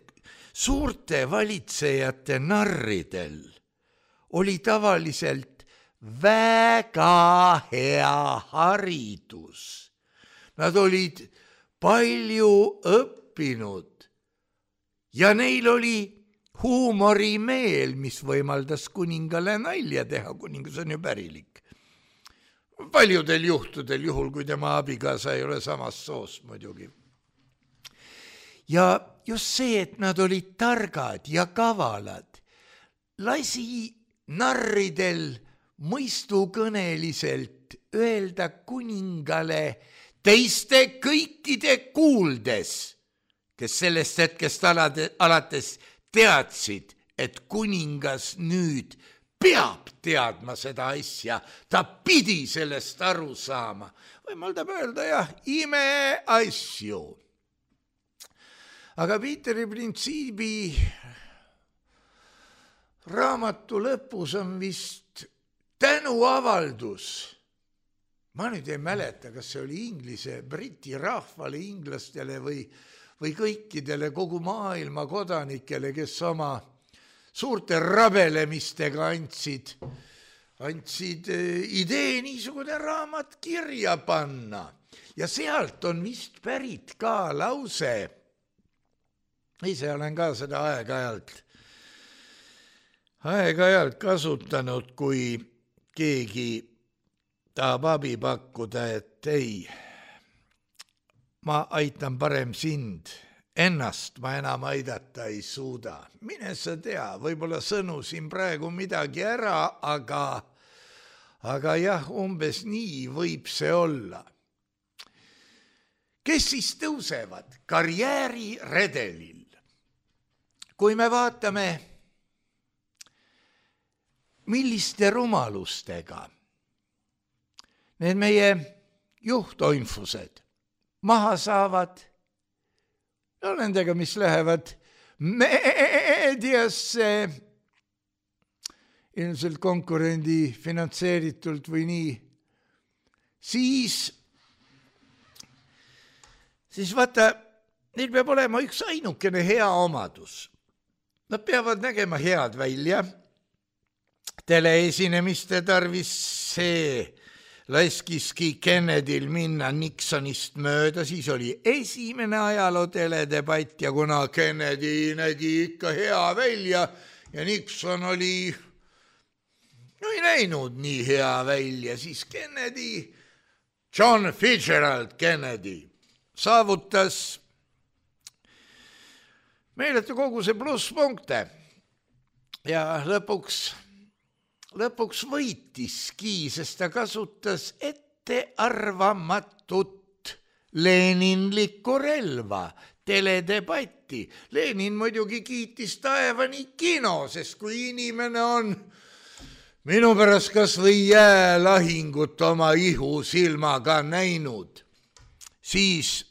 [SPEAKER 3] suurte valitsejate narridel oli tavaliselt väga hea haridus. Nad olid palju õppinud ja neil oli huumorimeel, mis võimaldas kuningale nalja teha, kuningas on ju pärilik. Paljudel juhtudel, juhul kui tema abikaasa ei ole samast soost muidugi. Ja just see, et nad olid targad ja kavalad, lasi narridel mõistukõneliselt öelda kuningale teiste kõikide kuuldes, kes sellest hetkest alates teadsid, et kuningas nüüd peab teadma seda asja, ta pidi sellest aru saama. Võimaldab öelda jah, imeasju. Aga Piiteri printsiibi raamatu lõpus on vist tänuavaldus. Ma nüüd ei mäleta, kas see oli briti rahvale, inglastele või või kõikidele kogu maailma kodanikele, kes oma suurte rabelemistega andsid idee niisugune raamat kirja panna. Ja sealt on vist pärit ka lause, ise olen ka seda aeg-ajalt kasutanud, kui keegi tahab abi pakkuda, et ei, ma aitan parem sind, ennast ma enam aidata ei suuda. Mine sa tea, võib-olla sõnusin praegu midagi ära, aga jah, umbes nii võib see olla. Kes siis tõusevad karjääriredelil? Kui me vaatame, milliste rumalustega need meie juhtoinfused maha saavad, no nendega, mis lähevad meediasse, ilmselt konkurendi finantseeritult või nii, siis vaata, neil peab olema üks ainukene hea omadus. Nad peavad nägema head välja, teleesinemiste tarvis see laskiski Kennedyl minna Nixonist mööda, siis oli esimene ajaloo teledebatt ja kuna Kennedy nägi ikka hea välja ja Nixon ei näinud nii hea välja, siis Kennedy, John Fitzgerald Kennedy, saavutas meeletu koguse plusspunkte ja lõpuks võitiski, sest ta kasutas ettearvamatut leninlikku relva, teledebatti. Lenin muidugi kiitis taevani kino, sest kui inimene on minu pärast kas või jäälahingut oma ihusilmaga näinud, siis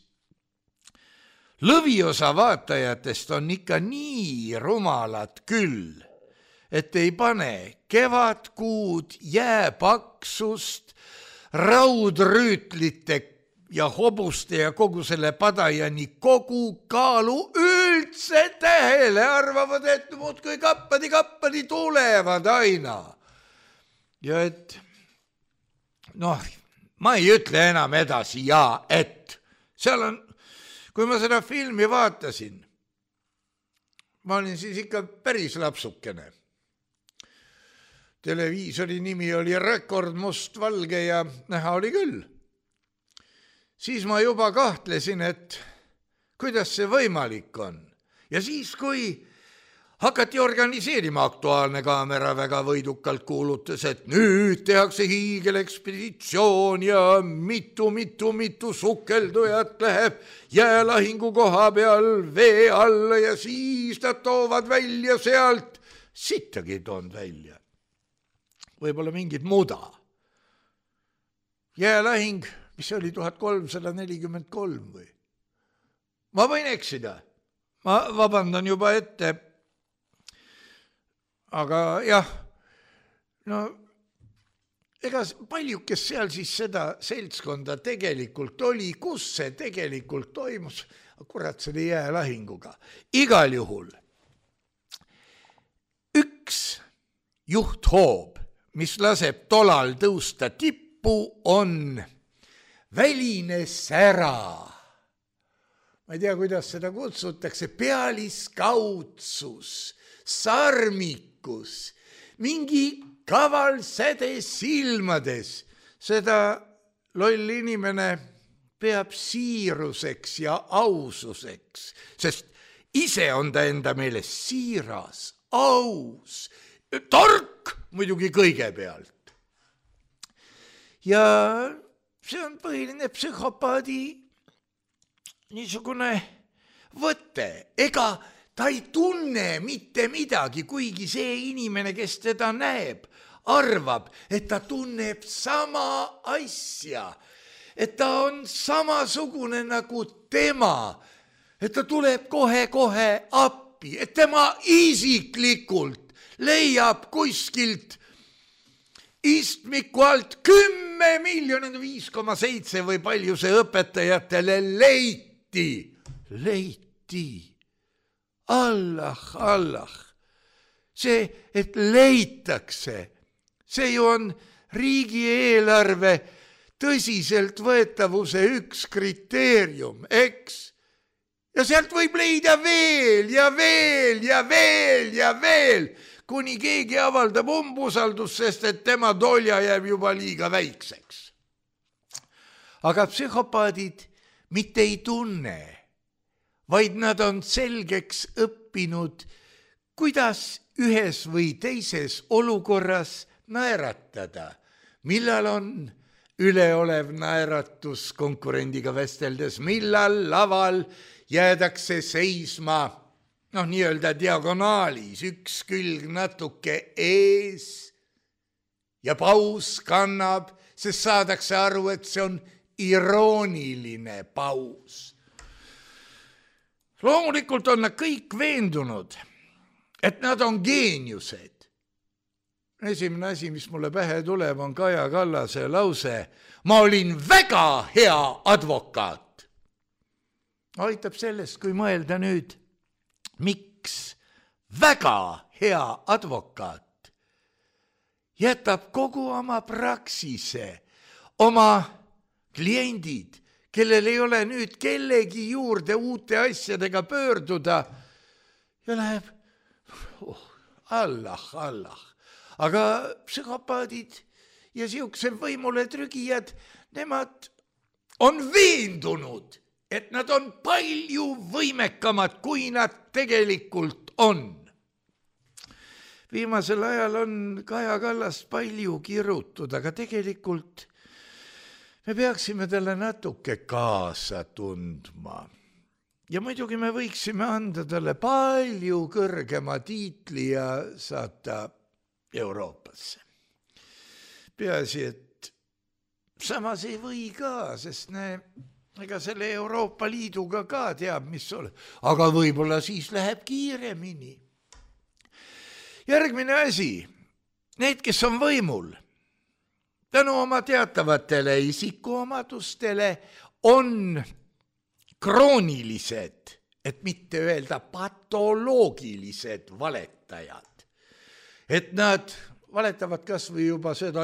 [SPEAKER 3] lõviosa vaatajatest on ikka nii rumalad küll, et ei pane kevadkuud, jääpaksust, raudrüütlite ja hobuste ja kogu selle padajani kogu kaalu üldse tähele, arvavad, et muudkui kappadi tulevad aina. Ja et, ma ei ütle enam edasi et seal on, kui ma seda filmi vaatasin, ma olin siis ikka päris lapsukene. Televiisori nimi oli Rekord mustvalge ja näha oli küll. Siis ma juba kahtlesin, et kuidas see võimalik on. Ja siis, kui hakati organiseerima, Aktuaalne kaamera väga võidukalt kuulutas, et nüüd tehakse hiigelekspeditsioon ja mitu sukeldujat läheb jäälahingu koha peal vee alla ja siis nad toovad välja sealt, sittagi toonud välja. Võib-olla mingid muda. Jäälähing, mis oli 1343 või? Ma võin eksida. Ma vabandan juba ette. Aga jah, ega palju, kes seal siis seda seltskonda tegelikult oli, kus see tegelikult toimus, kurat selle jäälähinguga. Igal juhul üks juhthoob, mis laseb tolal tõusta tippu, on väline sära. Ma ei tea, kuidas seda kutsutakse, pealiskaudsus, sarmikus, mingi kaval säde silmades. Seda loll inimene peab siiruseks ja aususeks, sest ise on ta enda meelest siiras, aus, tark muidugi kõigepealt. Ja see on põhiline psühhopaadi niisugune võte. Ega ta ei tunne mitte midagi, kuigi see inimene, kes teda näeb, arvab, et ta tunneb sama asja, et ta on samasugune nagu tema, et ta tuleb kohe appi, et tema isiklikult leiab kuskilt istmiku alt 10 5,7 või palju see õpetajatele leiti leiti. Allah. See, et leitakse, see ju on riigieelarve tõsiselt võetavuse üks kriteerium, eks? Ja sealt võib leida veel ja veel ja veel ja veel, kuni keegi avaldab umbusaldust, sest et tema tolja jääb juba liiga väikseks. Aga psühhopaadid mitte ei tunne, vaid nad on selgeks õppinud, kuidas ühes või teises olukorras naeratada, millal on üleolev naeratus konkurendiga vesteldes, millal laval jäädakse seisma, nii-öelda diagonaalis, üks külg natuke ees ja paus kannab, sest saadakse aru, et see on irooniline paus. Loomulikult on nad kõik veendunud, et nad on geeniused. Esimene asi, mis mulle pähe tuleb, on Kaja Kallase lause: ma olin väga hea advokaat. Aitab sellest, kui mõelda nüüd, miks väga hea advokaat jätab kogu oma praksise, oma kliendid, kellel ei ole nüüd kellegi juurde uute asjadega pöörduda ja läheb Allah. Aga psühhopaadid ja siuksed võimule trügijad, nemad on veendunud, et nad on palju võimekamad, kui nad tegelikult on. Viimasel ajal on Kaja Kallast palju kirutud, aga tegelikult me peaksime talle natuke kaasa tundma. Ja muidugi me võiksime anda talle palju kõrgema tiitli ja saata Euroopasse. Peaasi, et samas ei või ka, sest ega selle Euroopa Liiduga ka teab, mis ole. Aga võib-olla siis läheb kiiremini. Järgmine asi, need, kes on võimul, tänu oma teatavatele isikuomadustele on kroonilised, et mitte öelda patoloogilised valetajad. Et nad valetavad kas või juba seda,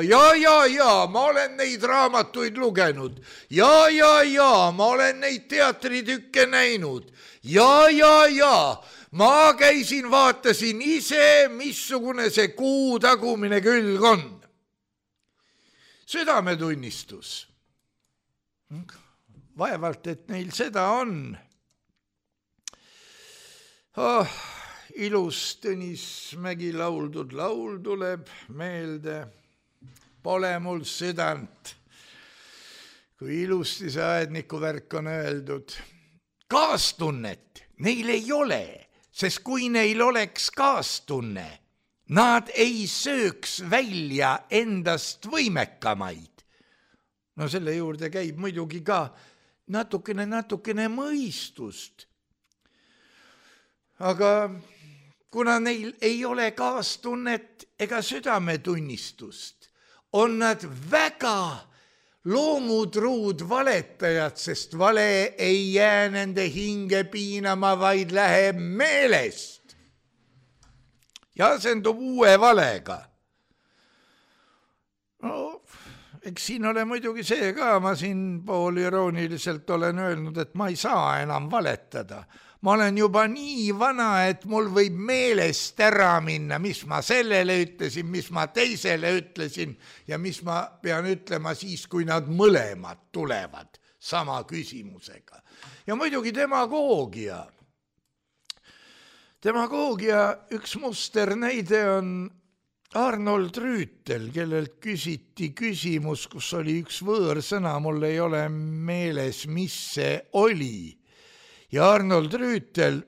[SPEAKER 3] ma olen neid raamatuid lugenud, ma olen neid teatritükke näinud, ma käisin, vaatasin ise, missugune see kuu tagumine külg on. Südametunnistus. Vaevalt, et neil seda on. Ilus Tõnis Mägi lauldud laul tuleb meelde. Pole mul südant, kui ilusti see aedniku värk on öeldud. Kaastunnet neil ei ole, sest kui neil oleks kaastunne, nad ei sööks välja endast võimekamaid. No selle juurde käib muidugi ka natukene mõistust. Aga kuna neil ei ole kaastunnet ega südametunnistust, on nad väga loomutruud valetajad, sest vale ei jää nende hinge piinama, vaid läheb meelest ja asendub uue valega. Eks siin ole muidugi see ka, ma siin poolirooniliselt olen öelnud, et ma ei saa enam valetada. Ma olen juba nii vana, et mul võib meelest ära minna, mis ma sellele ütlesin, mis ma teisele ütlesin ja mis ma pean ütlema siis, kui nad mõlemad tulevad sama küsimusega. Ja muidugi demagoogia. Demagoogia üks musternäide on Arnold Rüütel, kellelt küsiti küsimus, kus oli üks võõrsõna, mul ei ole meeles, mis see oli. Ja Arnold Rüütel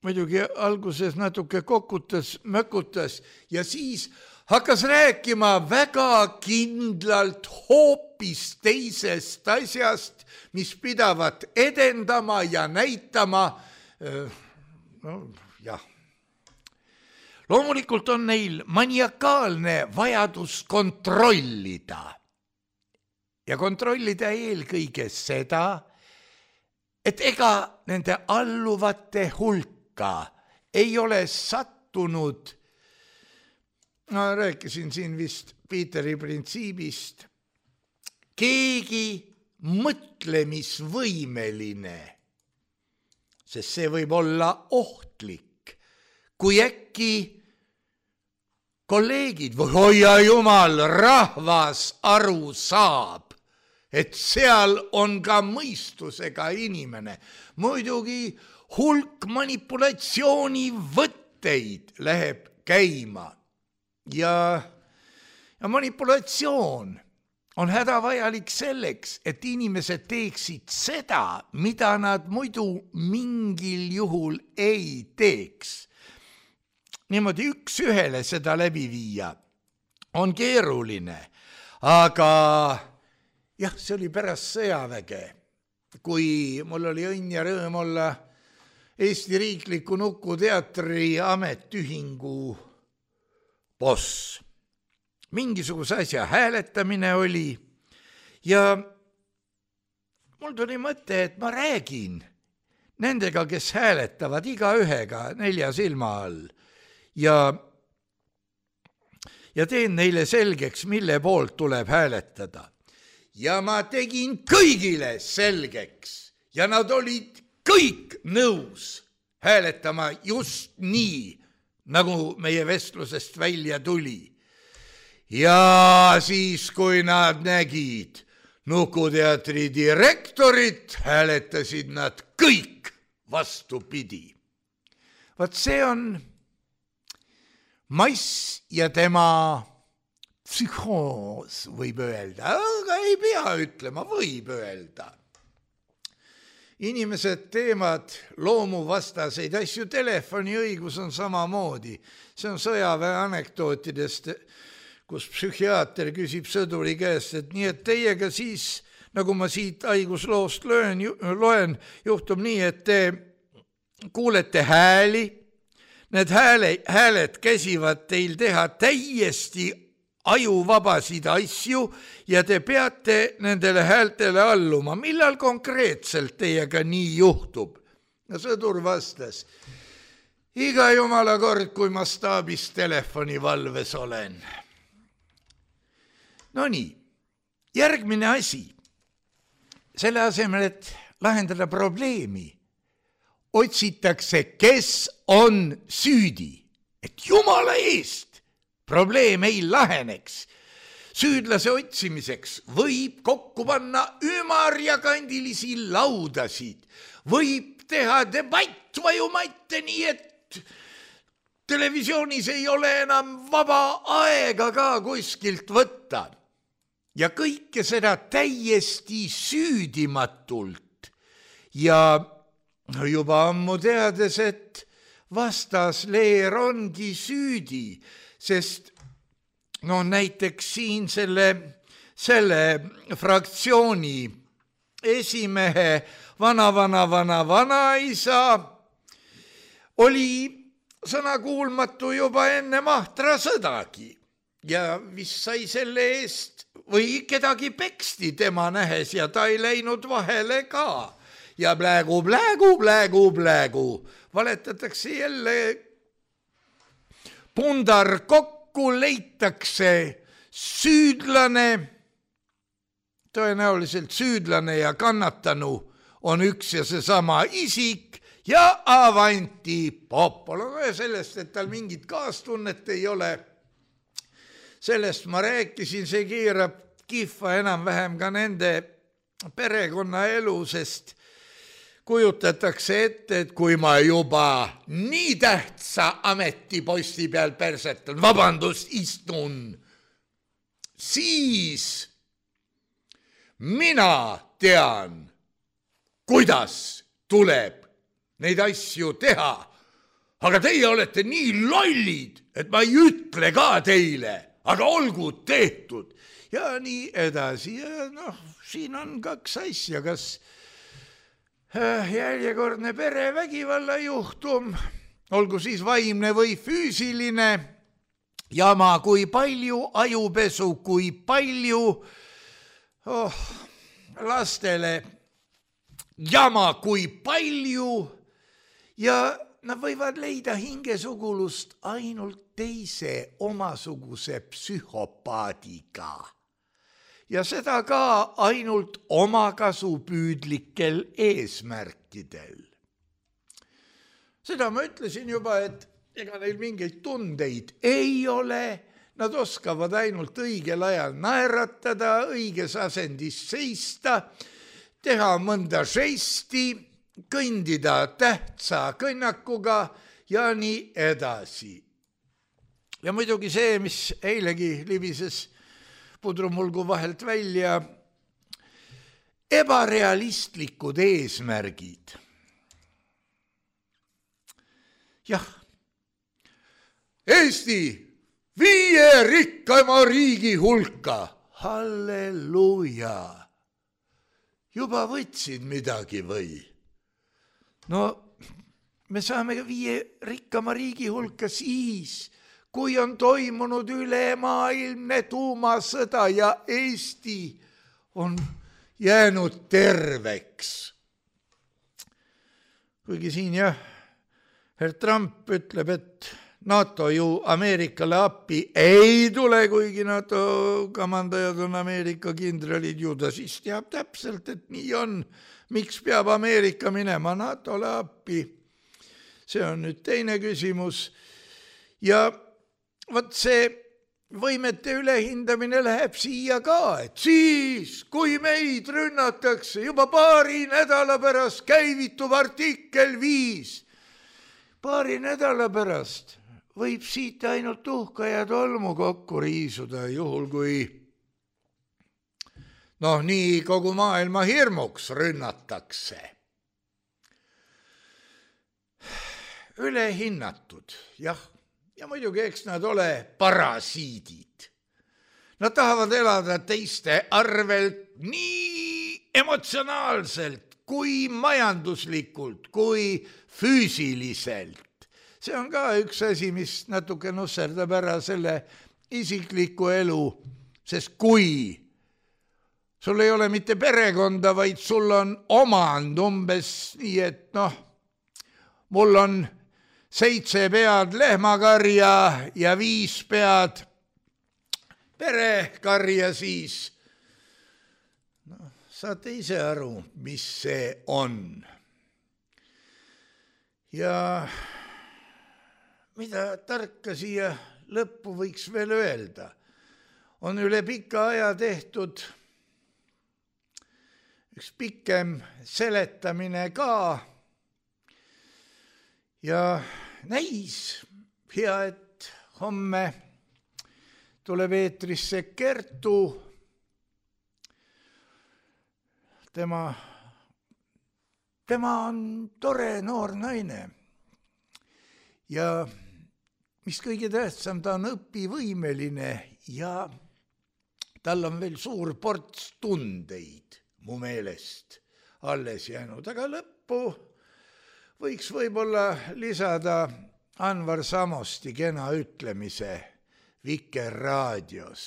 [SPEAKER 3] muidugi alguses natuke kokutas, mökutas ja siis hakkas rääkima väga kindlalt hoopis teisest asjast, mis pidavat edendama ja näitama. Loomulikult on neil maniakaalne vajadus kontrollida ja kontrollida eelkõige seda, et ega nende alluvate hulka ei ole sattunud, ma rääkisin siin vist Piiteri printsiibist, keegi mõtlemisvõimeline, sest see võib olla ohtlik, kui äkki kolleegid või hoia jumal, rahvas aru saab, et seal on ka mõistusega inimene. Muidugi hulk manipulatsioonivõtteid läheb käima ja manipulatsioon on hädavajalik selleks, et inimesed teeksid seda, mida nad muidu mingil juhul ei teeks. Niimoodi üks ühele seda läbi viia on keeruline, aga jah, see oli pärast sõjaväge, kui mul oli õnn ja rõõm olla Eesti Riikliku Nukuteatri ametiühingu boss. Mingisuguse asja hääletamine oli ja mul tuli mõte, et ma räägin nendega, kes hääletavad igaühega 4 silma all ja teen neile selgeks, mille poolt tuleb hääletada. Ja ma tegin kõigile selgeks ja nad olid kõik nõus hääletama just nii, nagu meie vestlusest välja tuli. Ja siis, kui nad nägid Nukuteatri direktorit, hääletasid nad kõik vastupidi. Vaat see on Mass ja tema psühhoos, võib öelda, aga ei pea ütlema, võib öelda. Inimesed teevad loomuvastaseid asju, telefoniõigus on samamoodi. See on sõjaväe anekdootidest, kus psühhiaater küsib sõduri käest, et nii, et teiega siis, nagu ma siit haigusloost loen, juhtub nii, et te kuulete hääli, need hääled käsivad teil teha täiesti ajuvabasid asju ja te peate nendele häältele alluma. Millal konkreetselt teiega nii juhtub? Ja sõdur vastas, iga jumala kord, kui ma staabis telefonivalves olen. No nii, järgmine asi. Selle asemel, et lahendada probleemi, otsitakse, kes on süüdi, et jumala eest probleem ei laheneks. Süüdlase otsimiseks võib kokku panna ümarjakandilisi laudasid, võib teha debatt vajumaite nii, et televisioonis ei ole enam vaba aega ka kuskilt võtta. Ja kõike seda täiesti süüdimatult ja juba ammu teades, et vastasleer ongi süüdi, sest no näiteks siin selle fraktsiooni esimehe vanaisa oli sõnakuulmatu juba enne Mahtra sõdagi ja vist sai selle eest või kedagi peksti tema nähes ja ta ei läinud vahele ka. Ja plägu, valetatakse jälle pundar kokku, leitakse süüdlane, tõenäoliselt süüdlane ja kannatanu on üks ja seesama isik ja avanti popolo. Sellest, et tal mingit kaastunnet ei ole, sellest ma rääkisin, see keerab kihva enam-vähem ka nende perekonnaelu, sest kujutatakse ette, et kui ma juba nii tähtsa ametiposti peal persetan, vabandust, istun, siis mina tean, kuidas tuleb neid asju teha. Aga teie olete nii lollid, et ma ei ütle ka teile, aga olgu tehtud. Ja nii edasi. Ja siin on 2 asja, kas järjekordne perevägivalla juhtum, olgu siis vaimne või füüsiline, jama, kui palju ajupesu, kui palju lastele jama kui palju ja nad võivad leida hingesugulust ainult teise omasuguse psühhopaadiga. Ja seda ka ainult omakasupüüdlikel eesmärkidel. Seda ma ütlesin juba, et ega neil mingeid tundeid ei ole, nad oskavad ainult õigel ajal naeratada, õiges asendis seista, teha mõnda žesti, kõndida tähtsa kõnnakuga ja nii edasi. Ja muidugi see, mis eilegi libises pudrumulgu vahelt välja, ebarealistlikud eesmärgid. Jah, Eesti 5 rikkama riigi hulka, halleluuja, juba võtsid midagi või? No me saame 5 rikkama riigi hulka siis, kui on toimunud ülemaailmne tuumasõda ja Eesti on jäänud terveks. Kuigi siin jah, herr Trump ütleb, et NATO ju Ameerikale appi ei tule, kuigi NATO kamandajad on Ameerika kindralid ju, ta siis teab täpselt, et nii on. Miks peab Ameerika minema NATOle appi? See on nüüd teine küsimus. Ja võt see võimete ülehindamine läheb siia ka, et siis, kui meid rünnatakse, juba paari nädala pärast käivitub artikkel 5. Paari nädala pärast võib siit ainult tuhka ja tolmu kokku riisuda, juhul kui nii kogu maailma hirmuks rünnatakse. Ülehinnatud, jah. Ja muidugi eks nad ole parasiidid. Nad tahavad elada teiste arvelt nii emotsionaalselt, kui majanduslikult, kui füüsiliselt. See on ka üks asi, mis natuke nusserdab ära selle isikliku elu, sest kui sul ei ole mitte perekonda, vaid sul on omand umbes nii, et mul on 7 pead lehmakarja ja 5 pead perekarja, siis saate ise aru, mis see on. Ja mida tarka siia lõppu võiks veel öelda, on üle pika aja tehtud üks pikem seletamine ka ja näis hea, et homme tuleb eetrisse Kertu. Tema on tore noor naine ja mis kõige tähtsam, ta on õpivõimeline ja tal on veel suur ports tundeid mu meelest alles jäänud, aga lõppu võiks võib-olla lisada Anvar Samosti kena ütlemise Vikerraadios.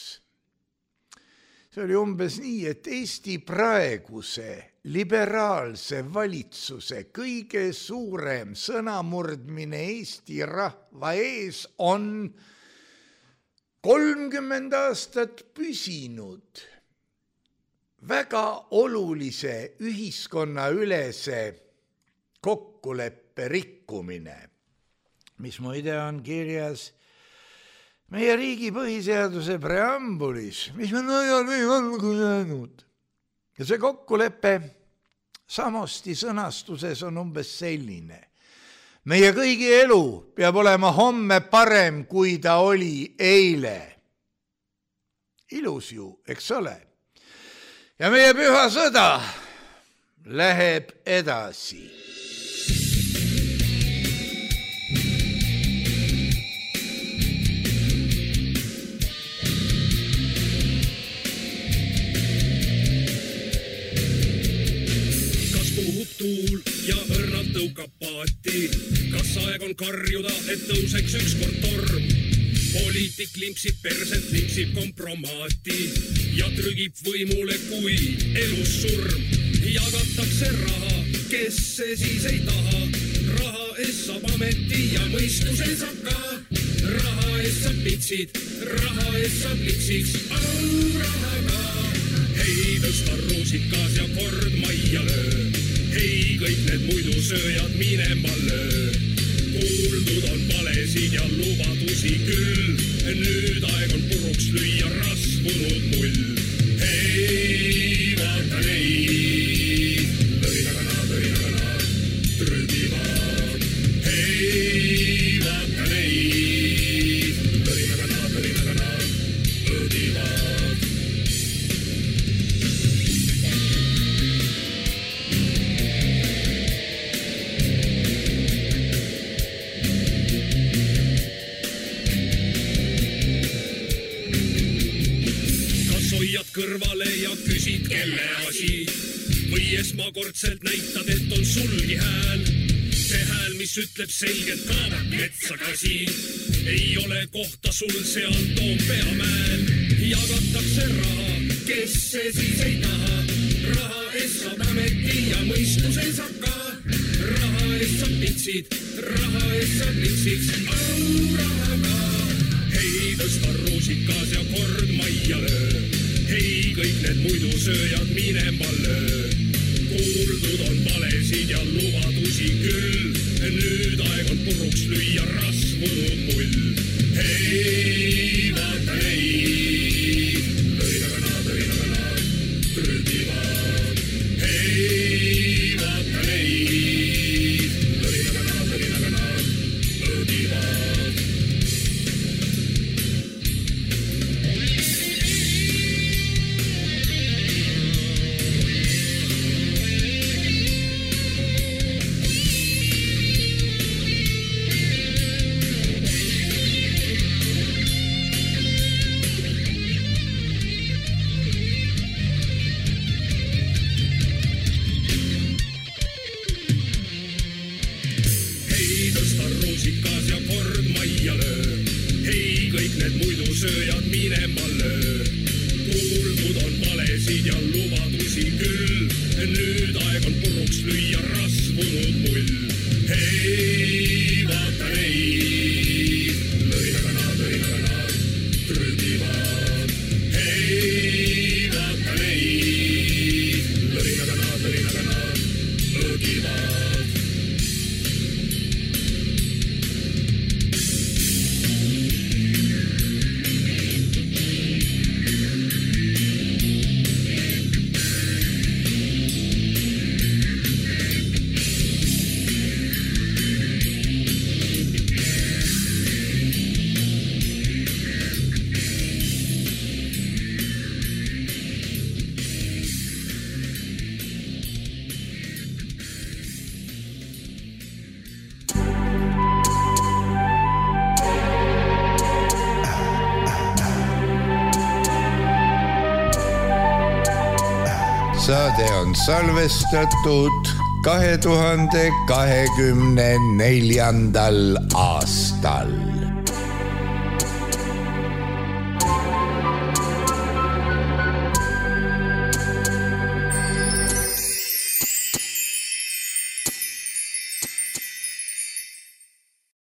[SPEAKER 3] See oli umbes nii, et Eesti praeguse liberaalse valitsuse kõige suurem sõnamurdmine Eesti rahva ees on 30 aastat püsinud väga olulise ühiskonnaülese kokkuleppe rikkumine, mis muide on kirjas meie riigi põhiseaduse preambulis, mis on ajal või valgu jäänud. Ja see kokkulepe Samosti sõnastuses on umbes selline. Meie kõigi elu peab olema homme parem, kui ta oli eile. Ilus ju, eks ole? Ja meie püha sõda läheb edasi.
[SPEAKER 4] Tuul ja õrnalt tõukab paati. Kas aeg on karjuda, et tõuseks ükskord torm? Poliitik limpsib perset, limpsib kompromaati ja trügib võimule kui elus surm. jagatakse raha, kes see siis ei taha. Raha eest saab ameti ja mõistuse saab ka. Raha eest saab pitsid, raha eest saab liksiks, raha ka. Hei, tõsta ruusikas ja kord majja löö. Hei, kõik need muidu sööjad minema löö. Kuuldud on valesid ja lubadusi küll. Nüüd aeg on puruks lüüa rasvunud mull. Hei, vaata neid, lõinagana, trügivad. Hei, vaata neid, lõinagana, õdivad. Kõrvale ja küsid, kelle asi. Või esmakordselt näitad, et on sulgi hääl. See hääl, mis ütleb selgelt kaabak metsakasi. Ei ole kohta sul seal Toompea mäel. Jagatakse raha, kes see siis ei taha. Raha eest saab ameti ja mõistuse saab ka. Raha eest saab pitsid, raha eest saab liksiks, raha ka. Hei, tõsta ruusikas ja kord majja löö. Hei, kõik need muidu sööjad minema löö. Kuuldud on valesid ja lubadusi küll. Nüüd aeg on puruks lüüa rasvunud mull. Hei, vaata neid, lõinagana, trügivad. Hei, vaata neid, lõinagana, õdivad. Sööjad minema löö. Kuuldud on valesid ja lubadusi küll. Nüüd aeg on puruks lüüa rasvunud mull. Hei, vaata neid, lõinagana, trügivad. Hei, vaata neid, lõinagana, õgivad.
[SPEAKER 3] Saade on salvestatud 2024. aastal.